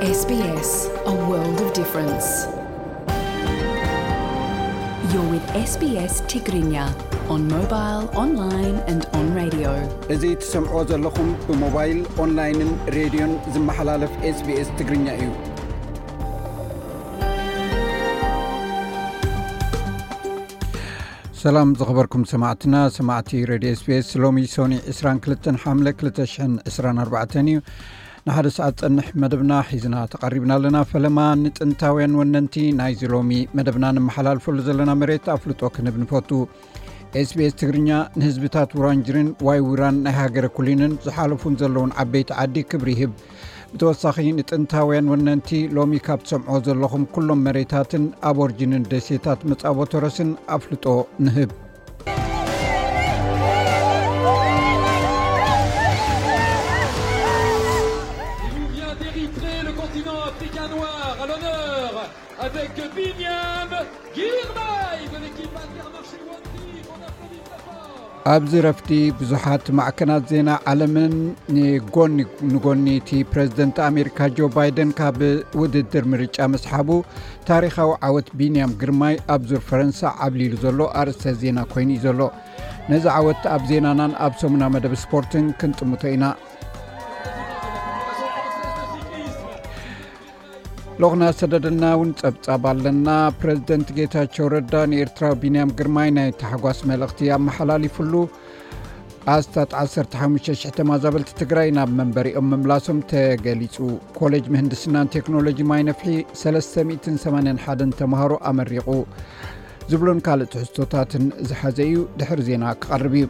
S B S, a world of difference. You're with S B S Tigrinya on mobile, online and on radio. እዚ ትሰምዕዎ ዘለኹም ብሞባይል፣ ኦንላይንን ሬድዮን ዝመሓላለፍ S B S ትግርኛ እዩ። ሰላም ዝኸበርኩም ሰማዕትና፣ ሰማዕቲ ሬድዮ S B S፣ ሎሚ ሶኒ ዕስራን ክልተን ሓምለ ክልተ ሽሕን ዕስራን ኣርባዕተን እዩ። ንሓደ ሰዓት ጸንሕ መደብና ሒዝና ተቐሪብና ኣለና። ፈለማ ንጥንታውያን ወነንቲ ናይዚ ሎሚ መደብና ንመሓላልፈሉ ዘለና መሬት ኣፍልጦ ክንህብ ንፈቱ። S B S ትግርኛ ንህዝብታት ውራንጅርን ዋይ ውራን ናይ ሃገረ ኩሊንን ዝሓለፉን ዘለውን ዓበይቲ ዓዲ ክብሪ ይህብ። ብተወሳኺ ንጥንታውያን ወነንቲ ሎሚ ካብ ትሰምዕዎ ዘለኹም ኩሎም መሬታትን ኣቦርጅንን ደሴታት መጻቦ ተረስን ኣፍልጦ ንህብ። Il nous vient d'Érythrée, le continent africain noir, à l'honneur, avec Binyam Girmay de l'équipe Intermarché One Team. On applaudit très fort. ኣብዚ ረፍቲ ብዙሓት ማዕከናት ዜና ዓለምን ንጎኒ ንጎኒ እቲ ፕረዚደንት ኣሜሪካ ጆ ባይደን ካብ ውድድር ምርጫ ምስሓቡ ታሪኻዊ ዓወት ቢንያም ግርማይ ኣብ ዙር ፈረንሳ ዓብሊሉ ዘሎ ኣርእስተ ዜና ኮይኑ እዩ ዘሎ። ነዚ ዓወት ኣብ ዜናናን ኣብ ሰሙና መደብ ስፖርትን ክንጥምቶ ኢና። ሎኽና ሰደደልና እውን ጸብጻብ ኣለና። ፕረዚደንት ጌታቸው ረዳ ንኤርትራዊ ቢንያም ግርማይ ናይ ታሕጓስ መልእኽቲ ኣመሓላሊፉሉ። ኣስታት ዓሰርተ ሓሙሽተ ሽሕ ተማዛበልቲ ትግራይ ናብ መንበሪኦም ምምላሶም ተገሊጹ። ኮሌጅ ምህንድስናን ቴክኖሎጂ ማይ ነፍሒ ሰለስተ ሚእትን ሰማንያን ሓደን ተምሃሮ ኣመሪቑ። ዝብሉን ካልእ ትሕዝቶታትን ዝሓዘ እዩ። ድሕሪ ዜና ክቐርብ እዩ።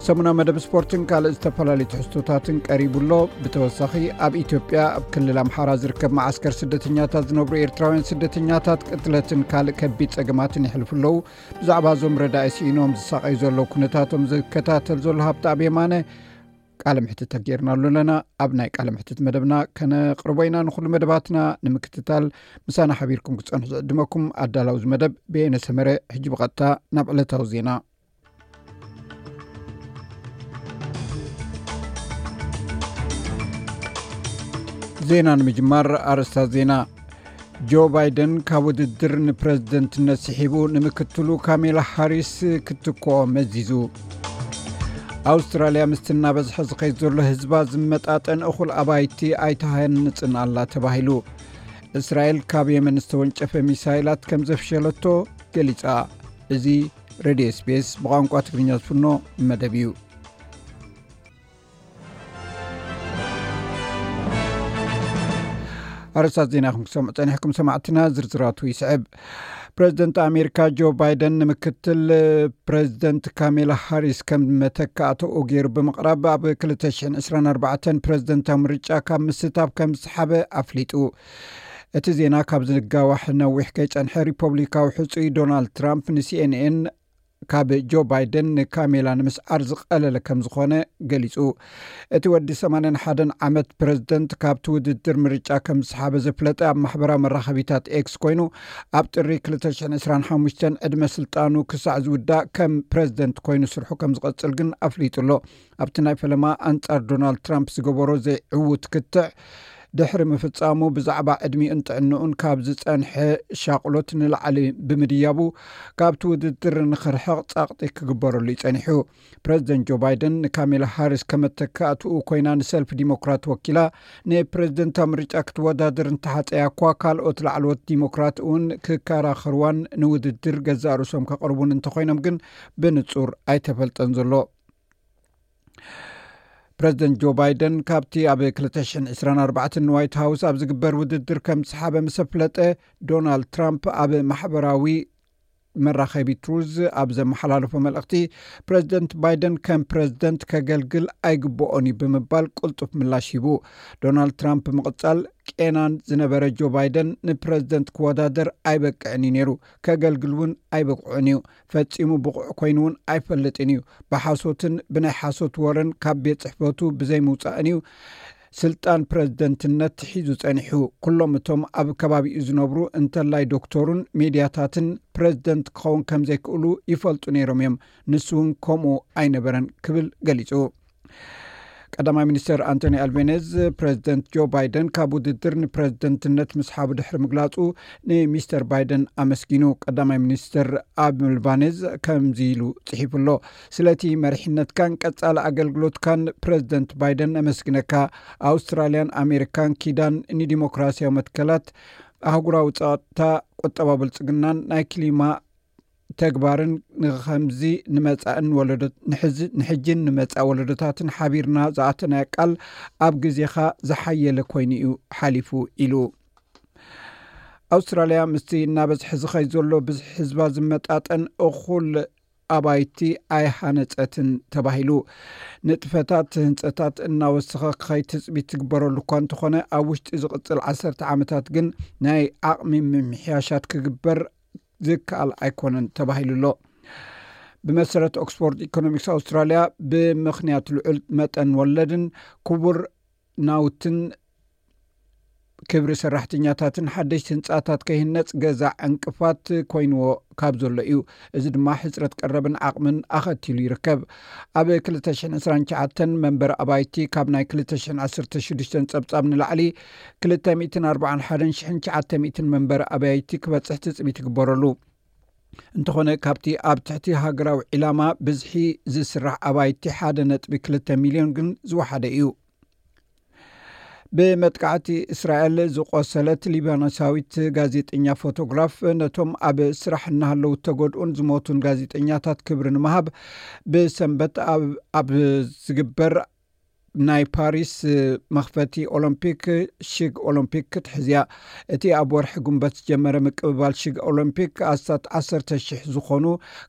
ሰሙና መደብ ስፖርትን ካልእ ዝተፈላለዩ ትሕዝቶታትን ቀሪቡ ኣሎ። ብተወሳኺ ኣብ ኢትዮጵያ ኣብ ክልል ኣምሓራ ዝርከብ መዓስከር ስደተኛታት ዝነብሩ ኤርትራውያን ስደተኛታት ቅትለትን ካልእ ከቢድ ጸገማትን የሕልፉ ኣለዉ። ብዛዕባ እዞም ረዳኢ ስኢኖም ዝሳቐዩ ዘለዉ ኩነታቶም ዝከታተል ዘሎ ሃብተኣብ የማነ ቃለ ምሕትት ተጌርናሉ ኣለና። ኣብ ናይ ቃለ ምሕትት መደብና ከነቕርቦ ኢና። ንኹሉ መደባትና ንምክትታል ምሳና ሓቢርኩም ክትጸንሑ ዝዕድመኩም ኣዳላዊ እዚ መደብ በየነ ሰመረ። ሕጂ ብቐጥታ ናብ ዕለታዊ ዜና። ዜና ንምጅማር ኣርእስታት ዜና። ጆ ባይደን ካብ ውድድር ንፕረዚደንትነት ስሒቡ ንምክትሉ ካሜላ ሃሪስ ክትክኦ መዚዙ። ኣውስትራልያ ምስቲ እናበዝሐ ዝኸይድ ዘሎ ህዝባ ዝመጣጠን እኹል ኣባይቲ ኣይትሃንጽን ኣላ ተባሂሉ። እስራኤል ካብ የመን ዝተወንጨፈ ሚሳይላት ከም ዘፍሸለቶ ገሊጻ። እዚ ሬድዮ S B S ብቋንቋ ትግርኛ ዝፍኖ መደብ እዩ። ኣርእስታት ዜና ኢኹም ክሰምዑ ጸኒሕኩም ሰማዕትና፣ ዝርዝራቱ ይስዕብ። ፕረዚደንት ኣሜሪካ ጆ ባይደን ንምክትል ፕረዚደንት ካሜላ ሃሪስ ከም መተካእትኡ ገይሩ ብምቕራብ፣ ኣብ ክልተ ሽሕን ዕስራን ኣርባዕተን ፕረዚደንታዊ ምርጫ ካብ ምስታፍ ከም ዝሰሓበ ኣፍሊጡ። እቲ ዜና ካብ ዝጋዋሕ ነዊሕ ከይጸንሐ፣ ሪፐብሊካዊ ሕጹይ ዶናልድ ትራምፕ ን C N N ካብ ጆ ባይደን ንካሜላ ንምስዓር ዝቐለለ ከም ዝኾነ ገሊጹ። እቲ ወዲ ሰማንያን ሓደን ዓመት ፕረዚደንት ካብቲ ውድድር ምርጫ ከም ዝሰሓበ ዘፍለጠ ኣብ ማሕበራዊ መራኸቢታት ኤክስ ኮይኑ፣ ኣብ ጥሪ ክልተ ሽሕን ዕስራን ሓሙሽተን ዕድመ ስልጣኑ ክሳዕ ዝውዳእ ከም ፕረዚደንት ኮይኑ ስርሑ ከም ዝቐጽል ግን ኣፍሊጡ ኣሎ። ኣብቲ ናይ ፈለማ ኣንጻር ዶናልድ ትራምፕ ዝገበሮ ዘይዕዉት ክትዕ ድሕሪ ምፍጻሙ፣ ብዛዕባ ዕድሚኡን ጥዕንኡን ካብ ዝጸንሐ ሻቕሎት ንላዕሊ ብምድያቡ፣ ካብቲ ውድድር ንኽርሕቕ ጸቕጢ ክግበረሉ እዩ ጸኒሑ። ፕረዚደንት ጆ ባይደን ንካሜላ ሃሪስ ከመተካእትኡ ኮይና ንሰልፊ ዲሞክራት ወኪላ ንፕረዚደንታዊ ምርጫ ክትወዳደር እንተሓጸያ እኳ፣ ካልኦት ላዕለዎት ዲሞክራት እውን ክከራኸርዋን ንውድድር ገዛእ ርእሶም ከቕርቡን እንተኾይኖም ግን ብንጹር ኣይተፈልጠን ዘሎ። ፕረዚደንት ጆ ባይደን ካብቲ ኣብ ክልተ ሽሕን ዕስራን ኣርባዕተን ንዋይት ሃውስ ኣብ ዝግበር ውድድር ከም ዝሰሓበ ምስ ኣፍለጠ፣ ዶናልድ ትራምፕ ኣብ ማሕበራዊ መራኸቢ ትሩዝ ኣብ ዘመሓላለፎ መልእኽቲ፣ ፕረዚደንት ባይደን ከም ፕረዚደንት ከገልግል ኣይግብኦን እዩ ብምባል ቅልጡፍ ምላሽ ሂቡ። ዶናልድ ትራምፕ ብምቕጻል፣ ቄናን ዝነበረ ጆ ባይደን ንፕረዚደንት ክወዳደር ኣይበቅዕን እዩ ነይሩ፣ ከገልግል እውን ኣይበቅዑን እዩ። ፈጺሙ ብቑዕ ኮይኑ እውን ኣይፈልጥን እዩ። ብሓሶትን ብናይ ሓሶት ወረን ካብ ቤት ጽሕፈቱ ብዘይምውጻእን እዩ ስልጣን ፕረዚደንትነት ሒዙ ጸኒሑ። ኩሎም እቶም ኣብ ከባቢኡ ዝነብሩ፣ እንተላይ ዶክተሩን ሜድያታትን፣ ፕረዚደንት ክኸውን ከም ዘይክእሉ ይፈልጡ ነይሮም እዮም። ንሱ እውን ከምኡ ኣይነበረን ክብል ገሊጹ። ቀዳማይ ሚኒስተር ኣንቶኒ ኣልቤኔዝ፣ ፕሬዚደንት ጆ ባይደን ካብ ውድድር ንፕሬዚደንትነት ምስሓቡ ድሕሪ ምግላጹ፣ ንሚስተር ባይደን ኣመስጊኑ። ቀዳማይ ሚኒስተር ኣልባኔዝ ከምዚ ኢሉ ጽሒፉ ኣሎ። ስለቲ መሪሕነትካን ቀጻሊ ኣገልግሎትካን ፕሬዚደንት ባይደን ነመስግነካ። ኣውስትራልያን ኣሜሪካን ኪዳን ንዲሞክራሲያዊ መትከላት፣ ኣህጉራዊ ጸጥታ፣ ቁጠባ ብልጽግናን ናይ ክሊማ ተግባርን ንኸምዚ ንመጻእን ወለዶ-፣ ንሕዚ-፣ ንሕጅን ንመጻእ ወለዶታትን ሓቢርና ዝኣተናዮ ቃል ኣብ ግዜኻ ዝሓየለ ኮይኑ እዩ ሓሊፉ ኢሉ። ኣውስትራልያ ምስቲ እናበዝሐ ዝኸይ ዘሎ ብዝሒ ህዝባ ዝመጣጠን እኹል ኣባይቲ ኣይሃነጸትን ተባሂሉ። ንጥፈታት ህንጸታት እናወሰኸ ክኸይ ትጽቢት ትግበረሉ እኳ እንተኾነ፣ ኣብ ውሽጢ ዝቕጽል ዓሰርተ ዓመታት ግን ናይ ዓቕሚ ምምሕያሻት ክግበር ዝከኣል ኣይኮነን ተባሂሉ ኣሎ። ብመሰረት ኦክስፎርድ ኢኮኖሚክስ ኣውስትራልያ፣ ብምኽንያት ልዑል መጠን ወለድን ክቡር ናውትን ክብሪ ሰራሕተኛታትን ሓደሽቲ ህንጻታት ከይህነጽ ገዛ ዕንቅፋት ኮይንዎ ካብ ዘሎ እዩ። እዚ ድማ ሕጽረት ቀረብን ዓቕምን ኣኸቲሉ ይርከብ። ኣብ ክልተ ሽሕን ዕስራን ትሽዓተን መንበሪ ኣባይቲ ካብ ናይ ክልተ ሽሕን ዓሰርተ ሽዱሽተን ጸብጻብ ንላዕሊ ክልተ ሚእትን ኣርባዓን ሓደን ሽሕን ትሽዓተ ሚእትን መንበሪ ኣባይቲ ክበጽሕ ትጽቢት ይግበረሉ። እንተኾነ፣ ካብቲ ኣብ ትሕቲ ሃገራዊ ዒላማ ብዝሒ ዝስራሕ ኣባይቲ ሓደ ነጥቢ ክልተ ሚልዮን ግን ዝወሓደ እዩ። ብመጥቃዕቲ እስራኤል ዝቖሰለት ሊባኖሳዊት ጋዜጠኛ ፎቶግራፍ፣ ነቶም ኣብ ስራሕ እናሃለዉ እተጎድኡን ዝሞቱን ጋዜጠኛታት ክብሪ ንምሃብ፣ ብሰንበት ኣብ፣ ኣብ ዝግበር ናይ ፓሪስ መኽፈቲ ኦሎምፒክ፣ ሽግ ኦሎምፒክ ክትሕዝ እያ። እቲ ኣብ ወርሒ ጉንበት ዝጀመረ ምቅብባል ሽግ ኦሎምፒክ፣ ኣስታት ዓሰርተ ሽሕ ዝኾኑ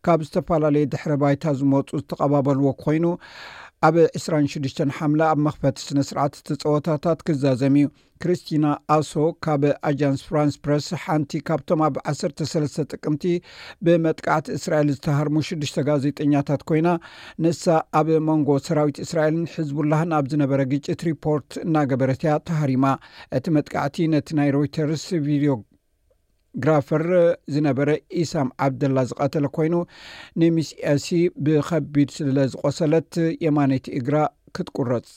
ካብ ዝተፈላለየ ድሕረ ባይታ ዝመጹ ዝተቐባበልዎ ኮይኑ፣ ኣብ ዕስራን ሽዱሽተን ሓምለ ኣብ መኽፈቲ ስነ ስርዓት እቲ ጸወታታት ክዛዘም እዩ። ክሪስቲና ኣሶ ካብ ኣጃንስ ፍራንስ ፕረስ፣ ሓንቲ ካብቶም ኣብ ዓሰርተ ሰለስተ ጥቅምቲ ብመጥቃዕቲ እስራኤል ዝተሃርሙ ሽዱሽተ ጋዜጠኛታት ኮይና፣ ንሳ ኣብ መንጎ ሰራዊት እስራኤልን ሕዝቡላህን ኣብ ዝነበረ ግጭት ሪፖርት እናገበረት እያ ተሃሪማ። እቲ መጥቃዕቲ ነቲ ናይ ሮይተርስ ቪድዮግራፈር ዝነበረ ኢሳም ዓብደላ ዝቐተለ ኮይኑ፣ ንሚስ ኤሲ ብኸቢድ ስለ ዝቆሰለት፣ የማነይቲ እግራ ክትቁረጽ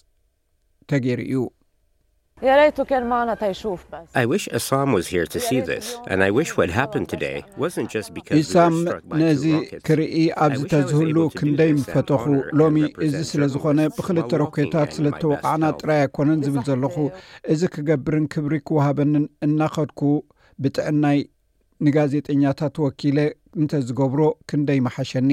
ተገይሩ እዩ። يا ريته كان معنا تيشوف بس. I wish Issam was here to see this, and I wish what happened today wasn't just because we were ኢሳም struck by ነዚ two rockets. ክርኢ ኣብዚ ተዝህሉ ክንደይ ምፈተኹ። ሎሚ እዚ ስለ ዝኾነ ብክልተ ሮኬታት ስለ ተወቃዕና ጥራይ ኣይኮነን ዝብል ዘለኹ። እዚ ክገብርን ክብሪ ክወሃበንን እናኸድኩ ብጥዕናይ ንጋዜጠኛታት ወኪለ እንተዝገብሮ ክንደይ ምሓሸኒ።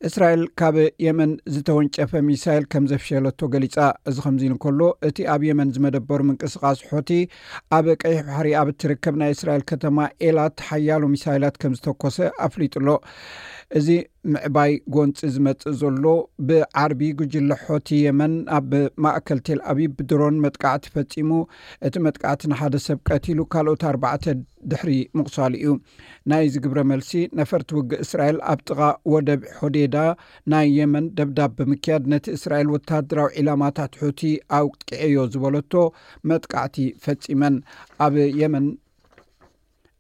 እስራኤል ካብ የመን ዝተወንጨፈ ሚሳይል ከም ዘፍሸለቶ ገሊጻ። እዚ ከምዚ ኢሉ እንከሎ፣ እቲ ኣብ የመን ዝመደበሩ ምንቅስቓስ ሖቲ ኣብ ቀይሕ ባሕሪ ኣብ እትርከብ ናይ እስራኤል ከተማ ኤላት ሓያሎ ሚሳይላት ከም ዝተኮሰ ኣፍሊጡ ኣሎ። እዚ ምዕባይ ጎንፂ ዝመጽእ ዘሎ፣ ብዓርቢ ጉጅለ ሖቲ የመን ኣብ ማእከል ቴል ኣቪቭ ብድሮን መጥቃዕቲ ፈጺሙ። እቲ መጥቃዕቲ ንሓደ ሰብ ቀቲሉ፣ ካልኦት ኣርባዕተ ድሕሪ ምቑሳሉ እዩ። ናይዚ ግብረ መልሲ፣ ነፈርቲ ውግእ እስራኤል ኣብ ጥቓ ወደብ ሖዴዳ ናይ የመን ደብዳብ ብምክያድ፣ ነቲ እስራኤል ወተሃደራዊ ዒላማታት ሑቲ ኣውቂዐዮ ዝበለቶ መጥቃዕቲ ፈጺመን። ኣብ የመን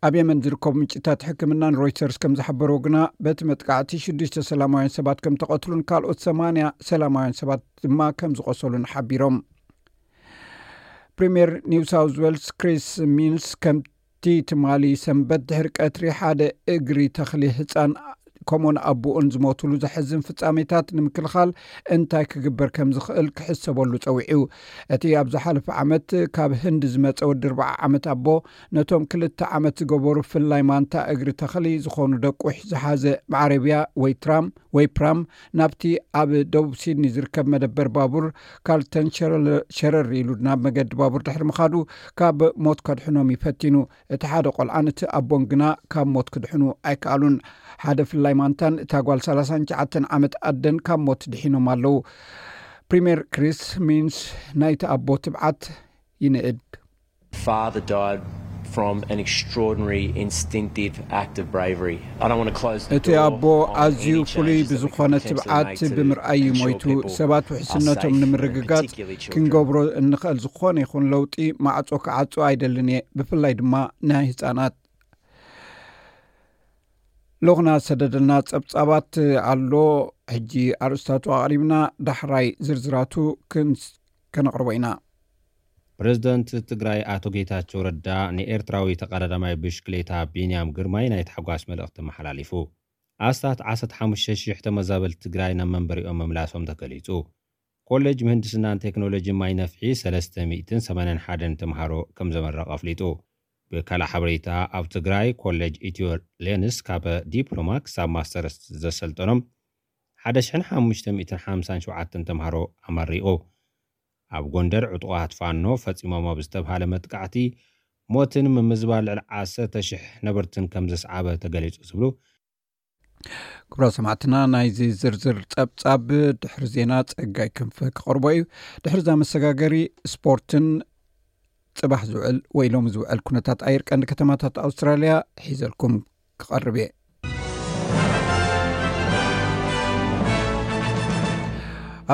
ኣብ የመን ዝርከቡ ምንጭታት ሕክምናን ሮይተርስ ከም ዝሓበሮ ግና፣ በቲ መጥቃዕቲ ሽዱሽተ ሰላማውያን ሰባት ከም ተቐትሉን ካልኦት ሰማንያ ሰላማውያን ሰባት ድማ ከም ዝቆሰሉን ሓቢሮም። ፕሪምየር ኒው ሳውዝ ዌልስ ክሪስ ሚንስ፣ ከምቲ ትማሊ ሰንበት ድሕሪ ቀትሪ ሓደ እግሪ ተኽሊ ህጻን ከምኡን ኣቦኡን ዝሞቱሉ ዘሕዝን ፍጻሜታት ንምክልኻል እንታይ ክግበር ከም ዝኽእል ክሕሰበሉ ጸዊዑ። እቲ ኣብ ዝሓለፈ ዓመት ካብ ህንዲ ዝመጸ ወዲ ኣርብዓ ዓመት ኣቦ፣ ነቶም ክልተ ዓመት ዝገበሩ ፍላይ ማንታ እግሪ ተኽሊ ዝኾኑ ደቁሕ ዝሓዘ መዓረብያ ወይ ትራም ወይ ፕራም፣ ናብቲ ኣብ ደቡብ ሲድኒ ዝርከብ መደበር ባቡር ካርልተን ሸረል-፣ ሸረር ኢሉ ናብ መገዲ ባቡር ድሕሪ ምኻዱ፣ ካብ ሞት ከድሕኖም እዩ ፈቲኑ። እቲ ሓደ ቆልዓን እቲ ኣቦን ግና ካብ ሞት ክድሕኑ ኣይከኣሉን። ሓደ ፍላይ ማንታን እታ ጓል ሰላሳን ትሽዓተን ዓመት ኣደን ካብ ሞት ድሒኖም ኣለዉ። ፕሪምየር ክሪስ ሚንስ ናይቲ ኣቦ ትብዓት ይንእድ። Father died from an extraordinary instinctive act of bravery. I don't want to close the እቲ door ኣቦ on ኣዝዩ any ፍሉይ changes that we ብዝኾነ could potentially ትብዓት make to ብምርኣይ እዩ ensure ሞይቱ። people ሰባት are ውሕስነቶም safe, and ንምርግጋጽ particularly children. ክንገብሮ እንኽእል ዝኾነ ይኹን ለውጢ ማዕጾ ክዓጹ ኣይደልን እየ፣ ብፍላይ ድማ ናይ ህጻናት። ሎኽና ሰደደልና ጸብጻባት ኣሎ። ሕጂ ኣርእስታቱ ኣቕሪብና፣ ዳሕራይ ዝርዝራቱ ክንስ-፣ ከነቕርቦ ኢና። ፕሬዝደንት ትግራይ ኣቶ ጌታቸው ረዳ ንኤርትራዊ ተቐዳዳማይ ብሽክሌታ ቢንያም ግርማይ ናይ ታሕጓስ መልእኽቲ መሓላሊፉ። ኣስታት ዓሰርተ ሓሙሽተ ሺሕ ተመዛበልቲ ትግራይ ናብ መንበሪኦም ምምላሶም ተገሊጹ። ኮሌጅ ምህንድስናን ቴክኖሎጂን ማይ ነፍሒ ሰለስተ ሚእትን ሰማንያን ሓደን ተምሃሮ ከም ዘመረቐ ኣፍሊጡ። ብካልእ ሓበሬታ፣ ኣብ ትግራይ ኮሌጅ ኢትዮ ሌንስ ካብ ዲፕሎማ ክሳብ ማስተርስ ዘሰልጠኖም ሓደ ሽሕን ሓሙሽተ ሚእትን ሓምሳን ሸውዓተን ተምሃሮ ኣመሪቑ። ኣብ ጎንደር ዕጡቓት ፋኖ ፈጺሞም ኣብ ዝተብሃለ መጥቃዕቲ ሞትን ምምዝባል ልዕሊ ዓሰርተ ሽሕ ነበርትን ከም ዘስዓበ ተገሊጹ ዝብሉ። ክቡራት ሰማዕትና፣ ናይዚ ዝርዝር ጸብጻብ ድሕሪ ዜና ጸጋይ ክንፈ ክቐርቦ እዩ። ድሕሪ እዛ መሰጋገሪ ስፖርትን ጽባሕ ዝውዕል ወይ ሎሚ ዝውዕል ኩነታት ኣየር ቀንዲ ከተማታት ኣውስትራልያ ሒዘልኩም ክቐርብ እየ።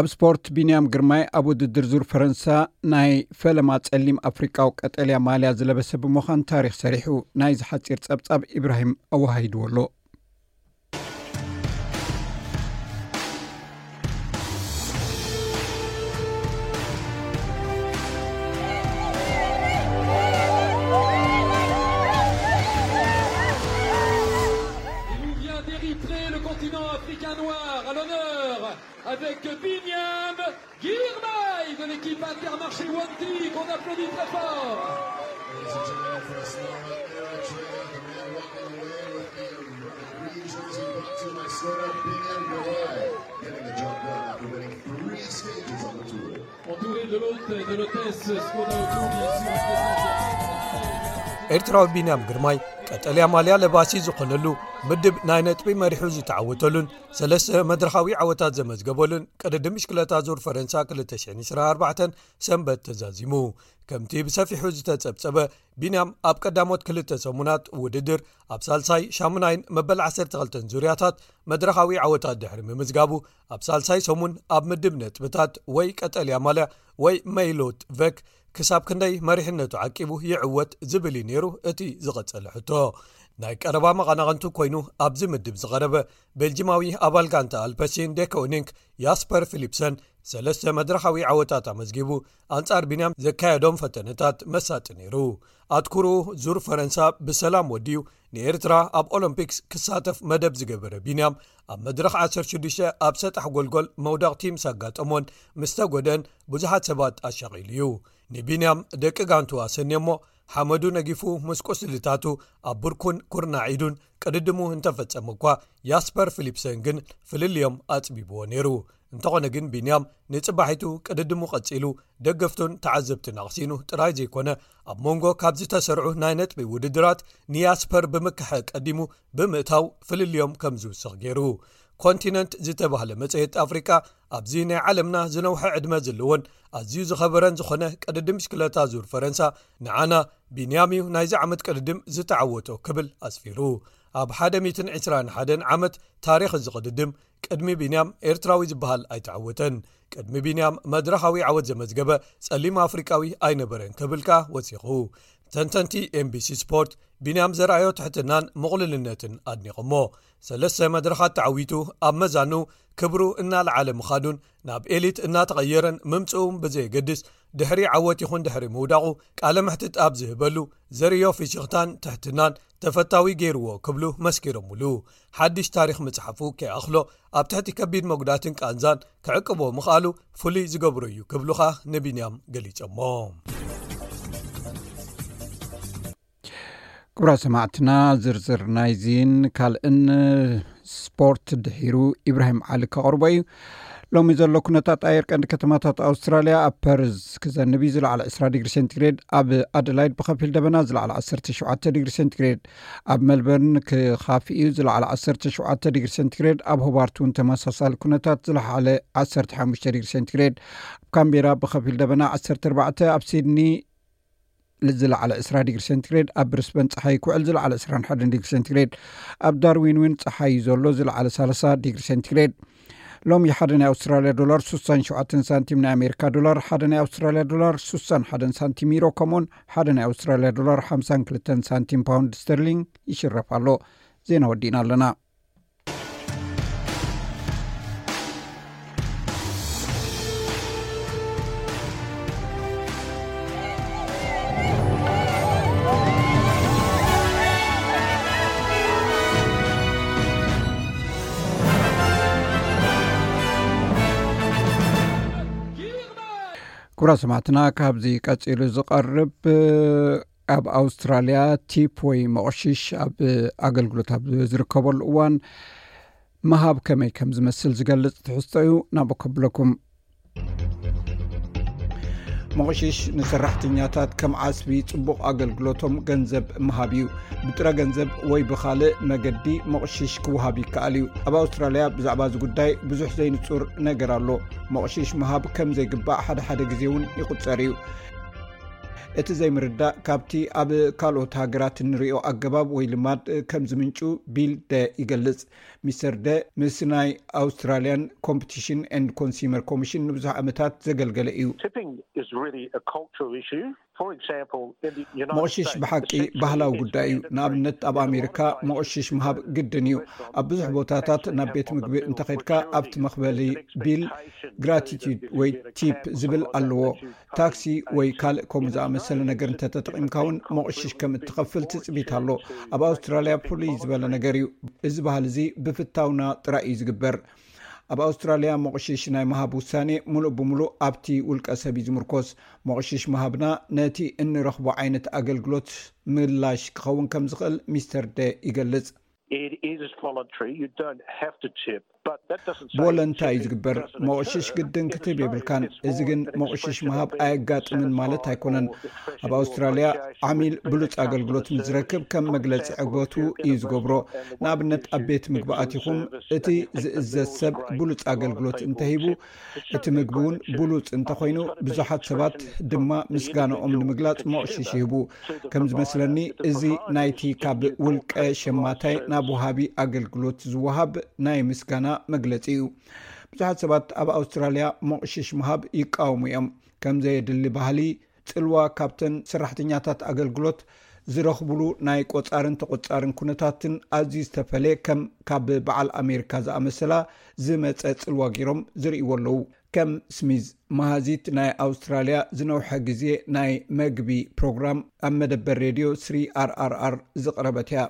ኣብ ስፖርት፣ ቢንያም ግርማይ ኣብ ውድድር ዙር ፈረንሳ ናይ ፈለማ ጸሊም ኣፍሪቃዊ ቀጠልያ ማልያ ዝለበሰ ብምዃን ታሪኽ ሰሪሑ። ናይዚ ሓጺር ጸብጻብ ኢብራሂም ኣወሃሂድዎ ኣሎ። Il nous vient d'Érythrée, le continent africain noir, à l'honneur, avec Binyam Girmay de l'équipe Intermarché Wanty, qu'on applaudit très fort. Ladies and gentlemen, for a small Eritrea, the man walking away with the green jersey brought to him by Sora Binyam Girmay, getting the job done after winning three stages on the tour. Entouré de l'hôte et de l'hôtesse, ce qu'on a autour, bien sûr, un président. ኤርትራዊ ቢንያም ግርማይ ቀጠልያ ማልያ ለባሲ ዝኾነሉ ምድብ ናይ ነጥቢ መሪሑ ዝተዓወተሉን ሰለስተ መድረኻዊ ዓወታት ዘመዝገበሉን ቅድድም ብሽክለታ ዙር ፈረንሳ ክልተ ሽሕን ዕስራን ኣርባዕተን ሰንበት ተዛዚሙ። ከምቲ ብሰፊሑ ዝተጸብጸበ፣ ቢንያም ኣብ ቀዳሞት ክልተ ሰሙናት ውድድር ኣብ ሳልሳይ፣ ሻሙናይን መበል ዓሰርተ ክልተን ዙርያታት መድረኻዊ ዓወታት ድሕሪ ምምዝጋቡ፣ ኣብ ሳልሳይ ሰሙን ኣብ ምድብ ነጥብታት ወይ ቀጠልያ ማልያ ወይ መይሎት ቨክ ክሳብ ክንደይ መሪሕነቱ ዓቂቡ ይዕወት ዝብል እዩ ነይሩ እቲ ዝቐጸለ ሕቶ። ናይ ቀረባ መቐናቕንቱ ኮይኑ ኣብዚ ምድብ ዝቐረበ ቤልጂማዊ ኣባል ጋንታ ኣልፐሲን ዴኮኒንክ ያስፐር ፊሊፕሰን ሰለስተ መድረኻዊ ዓወታት ኣመዝጊቡ ኣንጻር ቢንያም ዘካየዶም ፈተነታት መሳጢ ነይሩ። ኣትኩርኡ ዙር ፈረንሳ ብሰላም ወዲኡ ንኤርትራ ኣብ ኦሎምፒክስ ክሳተፍ መደብ ዝገበረ ቢንያም ኣብ መድረኽ ዓሰርተ ሽዱሽተ ኣብ ሰጣሕ ጎልጎል መውደቕቲ ምስ ኣጋጠሞን ምስ ተጎድአን ብዙሓት ሰባት ኣሻቒሉ እዩ። ንቢንያም ደቂ ጋንቱ ኣሰንዮሞ ሓመዱ ነጊፉ ምስ ቁስልታቱ ኣብ ብርኩን ኩርናዕ ኢዱን ቅድድሙ እንተፈጸመ እኳ ያስፐር ፊሊፕሰን ግን ፍልልዮም ኣጽቢብዎ ነይሩ። እንተኾነ ግን ቢንያም ንጽባሒቱ ቅድድሙ ቀጺሉ ደገፍቱን ተዓዘብትን ኣቕሲኑ ጥራይ ዘይኮነ ኣብ መንጎ ካብ ዝተሰርዑ ናይ ነጥቢ ውድድራት ንያስፐር ብምክሐ ቀዲሙ ብምእታው ፍልልዮም ከም ዝውስኽ ገይሩ። ኮንቲነንት ዝተባህለ መጽሔት ኣፍሪቃ ኣብዚ ናይ ዓለምና ዝነውሐ ዕድመ ዘለዎን ኣዝዩ ዝኸበረን ዝኾነ ቅድድም ብሽክለታ ዙር ፈረንሳ ንዓና ቢንያም እዩ ናይዚ ዓመት ቅድድም ዝተዓወቶ ክብል ኣስፊሩ። ኣብ ሓደ ሚእትን ዕስራን ሓደን ዓመት ታሪኽ እዚ ቅድድም ቅድሚ ቢንያም ኤርትራዊ ዝበሃል ኣይተዓወተን። ቅድሚ ቢንያም መድረኻዊ ዓወት ዘመዝገበ ጸሊም ኣፍሪቃዊ ኣይነበረን ክብል ከኣ ወሲኹ። ተንተንቲ ኤምቢሲ ስፖርት ቢንያም ዘርኣዮ ትሕትናን ምቕሉልነትን ኣድኒቖሞ። ሰለስተ መድረኻት ተዓዊቱ ኣብ መዛኑ ክብሩ እናለዓለ ምኻዱን ናብ ኤሊት እናተቐየረን ምምጽኡን ብዘየገድስ ድሕሪ ዓወት ይኹን ድሕሪ ምውዳቑ ቃለ መሕትት ኣብ ዝህበሉ ዘርእዮ ፍሽኽታን ትሕትናን ተፈታዊ ገይርዎ ክብሉ መስኪሮምሉ። ሓድሽ ታሪኽ ምጽሓፉ ከይኣኽሎ ኣብ ትሕቲ ከቢድ መጉዳትን ቃንዛን ክዕቅቦ ምኽኣሉ ፍሉይ ዝገብሮ እዩ ክብሉ ኸኣ ንቢንያም ገሊጾሞ። ክቡራት ሰማዕትና፣ ዝርዝር ናይዚን ካልእን ስፖርት ድሒሩ ኢብራሂም ዓሊ ከቕርቦ እዩ። ሎሚ ዘሎ ኩነታት ኣየር ቀንዲ ከተማታት ኣውስትራልያ፣ ኣብ ፐርዝ ክዘንብ እዩ፣ ዝለዓለ ዕስራ ዲግሪ ሴንቲግሬድ፣ ኣብ ኣደላይድ ብኸፊል ደበና፣ ዝለዓለ ዓሰርተ ሸውዓተ ዲግሪ ሴንቲግሬድ፣ ኣብ ሜልበርን ክኻፍእ እዩ፣ ዝለዓለ ዓሰርተ ሸውዓተ ዲግሪ ሴንቲግሬድ፣ ኣብ ሆባርት እውን ተመሳሳሊ ኩነታት፣ ዝለዓለ ዓሰርተ ሓሙሽተ ዲግሪ ሴንቲግሬድ፣ ኣብ ካምቤራ ብኸፊል ደበና ዓሰርተ ኣርባዕተ፣ ኣብ ሲድኒ ዝለዓለ ዕስራ ዲግሪ ሴንቲግሬድ፣ ኣብ ብሪስበን ጸሓይ ክውዕል፣ ዝለዓለ ዕስራን ሓደን ዲግሪ ሴንቲግሬድ፣ ኣብ ዳርዊን እውን ጸሓይ እዩ ዘሎ፣ ዝለዓለ ሰላሳ ዲግሪ ሴንቲግሬድ። ሎሚ ሓደ ናይ ኣውስትራልያ ዶላር ስሳን ሸውዓተን ሳንቲም፣ ናይ ኣሜሪካ ዶላር ሓደ ናይ ኣውስትራልያ ዶላር ስሳን ሓደን ሳንቲም፣ ዩሮ ከምኡውን ሓደ ናይ ኣውስትራልያ ዶላር ሓምሳን ክልተን ሳንቲም ፓውንድ ስተርሊንግ ይሽረፍ ኣሎ። ዜና ወዲእና ኣለና። ክቡራት ሰማዕትና፣ ካብዚ ቀጺሉ ዝቐርብ ኣብ ኣውስትራልያ ቲፕ ወይ መቕሽሽ ኣብ ኣገልግሎት ኣብ ዝርከበሉ እዋን ምሃብ ከመይ ከም ዝመስል ዝገልጽ ትሕዝቶ እዩ። ናብ ከብለኩም። መቕሽሽ ንሰራሕተኛታት ከም ዓስቢ ጽቡቕ ኣገልግሎቶም ገንዘብ ምሃብ እዩ። ብጥረ ገንዘብ ወይ ብኻልእ መገዲ መቕሽሽ ክወሃብ ይከኣል እዩ። ኣብ ኣውስትራልያ ብዛዕባ እዚ ጉዳይ ብዙሕ ዘይንጹር ነገር ኣሎ። መቕሽሽ ምሃብ ከም ዘይግባእ ሓደ ሓደ ግዜ እውን ይቑጸር እዩ። እቲ ዘይምርዳእ ካብቲ ኣብ ካልኦት ሃገራት እንሪኦ ኣገባብ ወይ ልማድ ከም ዝምንጩ ቢል ደ ይገልጽ። ሚስተር ደ ምስ ናይ ኣውስትራልያን ኮምፒቲሽን ኤንድ ኮንሱመር ኮሚሽን ንብዙሕ ዓመታት ዘገልገለ እዩ። Tipping is really a cultural issue. For example, in the United መቕሽሽ States, ብሓቂ essentially ባህላዊ it's ጉዳይ እዩ። mandatory ንኣብነት ኣብ in a ኣሜሪካ lot of places መቕሽሽ to ምሃብ go to ግድን እዩ። restaurants ኣብ ብዙሕ and ቦታታት base the ናብ cap ቤት on the ምግቢ bill, እንተኸድካ which ኣብቲ really መኽበሊ is an ቢል expectation ግራቲቱድ that you ወይ get a ቲፕ cap or ዝብል something ኣለዎ። like that to pay ታክሲ ወይ taxes. ካልእ ከምኡ In ዝኣመሰለ Australia, ነገር it's a እንተተጠቒምካ እውን different መቕሽሽ ከም completely እትኸፍል different ትጽቢት ኣሎ። forward to ኣብ ኣውስትራልያ shopping ፍሉይ ዝበለ voluntary. ነገር እዩ። እዚ ባህል እዚ ብፍታውና ጥራይ እዩ ዝግበር። ኣብ ኣውስትራልያ መቕሽሽ ናይ ምሃብ ውሳኔ ሙሉእ ብሙሉእ ኣብቲ ውልቀ ሰብ እዩ ዝምርኮስ። መቕሽሽ ምሃብና ነቲ እንረኽቦ ዓይነት ኣገልግሎት ምላሽ ክኸውን ከም ዝኽእል ሚስተር ደ ይገልጽ። It is voluntary. You don't have to tip, but that doesn't say ብወለንታ እዩ tipping ዝግበር። doesn't መቕሽሽ occur. ግድን In ክትህብ Australia, የብልካን። it's እዚ more ግን an መቕሽሽ expression ምሃብ of being ኣየጋጥምን ማለት satisfied ኣይኮነን። or expressing ኣብ your ኣውስትራልያ appreciation ዓሚል with ብሉጽ that ኣገልግሎት customer ምስ ዝረክብ service. ከም For መግለጺ example, ዕግበቱ if you get እዩ a ዝገብሮ። waitress and the ንኣብነት waitress ኣብ ቤት gives you ምግቢ a good ኣቲኹም service እቲ and the ዝእዘዝ bill's ሰብ great, ብሉጽ a lot of ኣገልግሎት people እንተሂቡ tip. To show እቲ their ምግቢ እውን gratitude, ብሉጽ I think እንተኾይኑ it's gotta be ብዙሓት ሰባት expression ድማ from the ምስጋንኦም individual ንምግላጽ መቕሽሽ consumer ይህቡ። to the ከም ዝመስለኒ provider, the እዚ providers ናይቲ just ካብ give or ውልቀ pay for ሸማታይ life ናብ service. ወሃቢ ኣገልግሎት ዝወሃብ ናይ ምስጋና መግለጺ እዩ። ብዙሓት ሰባት ኣብ ኣውስትራልያ መቕሽሽ ምሃብ ይቃወሙ እዮም። ከም ዘየድሊ ባህሊ ጽልዋ ካብተን ሰራሕተኛታት ኣገልግሎት ዝረኽብሉ ናይ ቆጻርን ተቆጻርን ኩነታትን ኣዝዩ ዝተፈለየ፣ ከም ካብ በዓል ኣሜሪካ ዝኣመሰላ ዝመጸ ጽልዋ ገይሮም ዝርእይዎ ኣለዉ። ከም ስሚዝ፣ መሃዚት ናይ ኣውስትራልያ ዝነውሐ ግዜ ናይ መግቢ ፕሮግራም ኣብ መደበር ሬድዮ ስሪ ኣር ኣር ኣር ዝቕረበት እያ።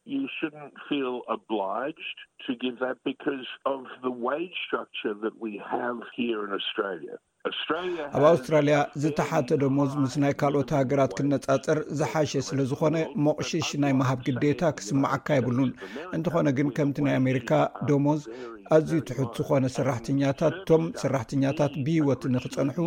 You shouldn't feel obliged to give that because of the wage structure that we have here in Australia. Australia ኣብ ኣውስትራልያ ዝተሓተ ደሞዝ ምስ ናይ ካልኦት ሃገራት ክነጻጸር ዝሓሸ ስለ ዝኾነ፣ ሞቕሽሽ ናይ ምሃብ ግዴታ ክስምዓካ የብሉን። እንተኾነ ግን፣ ከምቲ ናይ ኣሜሪካ ደሞዝ ኣዝዩ ትሑት ዝኾነ ሰራሕተኛታት፣ እቶም ሰራሕተኛታት ብህይወት ንኽጸንሑ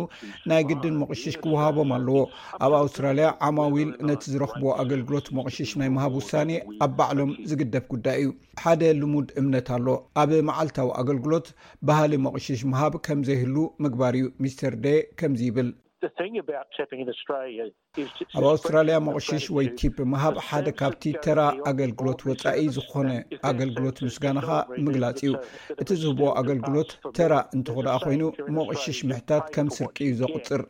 ናይ ግድን ሞቕሽሽ ክወሃቦም ኣለዎ። ኣብ ኣውስትራልያ ዓማዊል ነቲ ዝረኽብዎ ኣገልግሎት ሞቕሽሽ ናይ ምሃብ ውሳኔ ኣብ ባዕሎም ዝግደፍ ጉዳይ እዩ። ሓደ ልሙድ እምነት ኣሎ። ኣብ መዓልታዊ ኣገልግሎት ባህሊ ሞቕሽሽ ምሃብ ከም ዘይህሉ ምግባር እዩ። ሚስተር ደ ከምዚ ይብል። The thing about tipping in Australia is it's ኣብ ኣውስትራልያ expression of ሞቕሽሽ ወይ gratitude. ቲፕ ምሃብ ሓደ ካብቲ ተራ ኣገልግሎት ወጻኢ ዝኾነ ኣገልግሎት ምስጋናኻ ምግላጽ እዩ። እቲ ዝህቦ ኣገልግሎት ተራ እንተኾ ደኣ ኮይኑ፣ ሞቕሽሽ ምሕታት ከም ስርቂ እዩ ዘቑጽር።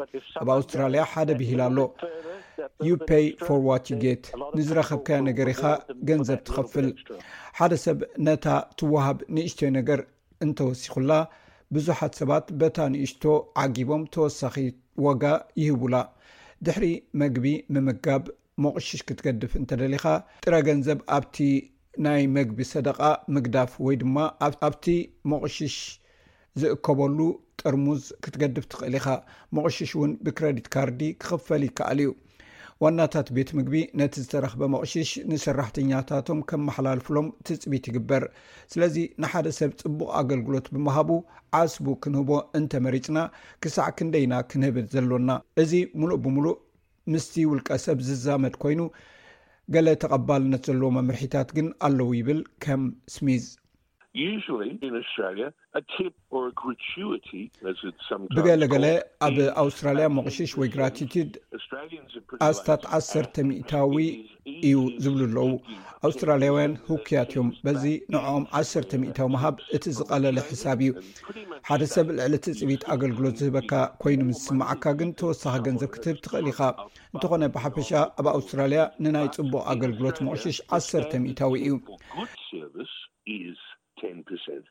ኣብ ኣውስትራልያ ሓደ ብሂል ኣሎ፣ "You pay for what you get." ንዝረኸብካዮ ነገር ኢኻ ገንዘብ ትኸፍል። ሓደ ሰብ ነታ ትወሃብ ንእሽቶይ ነገር እንተወሲኹላ፣ ብዙሓት ሰባት በታ ንእሽቶ ዓጊቦም ተወሳኺ ዋጋ ይህቡላ። ድሕሪ መግቢ ምምጋብ፣ ሞቕሽሽ ክትገድፍ እንተደሊኻ፣ ጥረ ገንዘብ ኣብቲ ናይ መግቢ ሰደቓ ምግዳፍ ወይ ድማ ኣብ-፣ ኣብቲ ሞቕሽሽ ዝእከበሉ ጥርሙዝ ክትገድፍ ትኽእል ኢኻ። ሞቕሽሽ እውን ብክረዲት ካርዲ ክኽፈል ይከኣል እዩ። ዋናታት ቤት ምግቢ ነቲ ዝተረኽበ ሞቕሽሽ ንሰራሕተኛታቶም ከመሓላልፍሎም ትጽቢት ይግበር። ስለዚ ንሓደ ሰብ ጽቡቕ ኣገልግሎት ብምሃቡ ዓስቡ ክንህቦ እንተመሪጽና፣ ክሳዕ ክንደይ ኢና ክንህብ ዘሎና? እዚ ምሉእ ብምሉእ ምስቲ ውልቀ ሰብ ዝዛመድ ኮይኑ፣ ገለ ተቐባልነት ዘለዎ መምርሒታት ግን ኣለዉ ይብል ከም ስሚዝ። Usually in Australia, a tip or a gratuity, as it's sometimes ብገለገለ called, ኣብ is ኣውስትራልያ at ሞቕሽሽ ወይ ten percent. ግራቲቲድ Australians are pretty ኣስታት lazy. ዓሰርተ ሚእታዊ It is እዩ easy ዝብሉ ኣለዉ። to give ኣውስትራልያውያን ten percent ህውክያት እዮም። በዚ ንዕኦም ዓሰርተ ሚእታዊ ምሃብ እቲ ዝቐለለ ሕሳብ እዩ። ሓደ ሰብ ልዕሊ ትጽቢት ኣገልግሎት ዝህበካ ኮይኑ ምስ ዝስምዓካ ግን ተወሳኺ ገንዘብ ክትህብ ትኽእል ኢኻ። እንተኾነ ብሓፈሻ ኣብ ኣውስትራልያ ንናይ ጽቡቕ ኣገልግሎት ሞቕሽሽ ዓሰርተ ሚእታዊ እዩ። For good service is ten percent.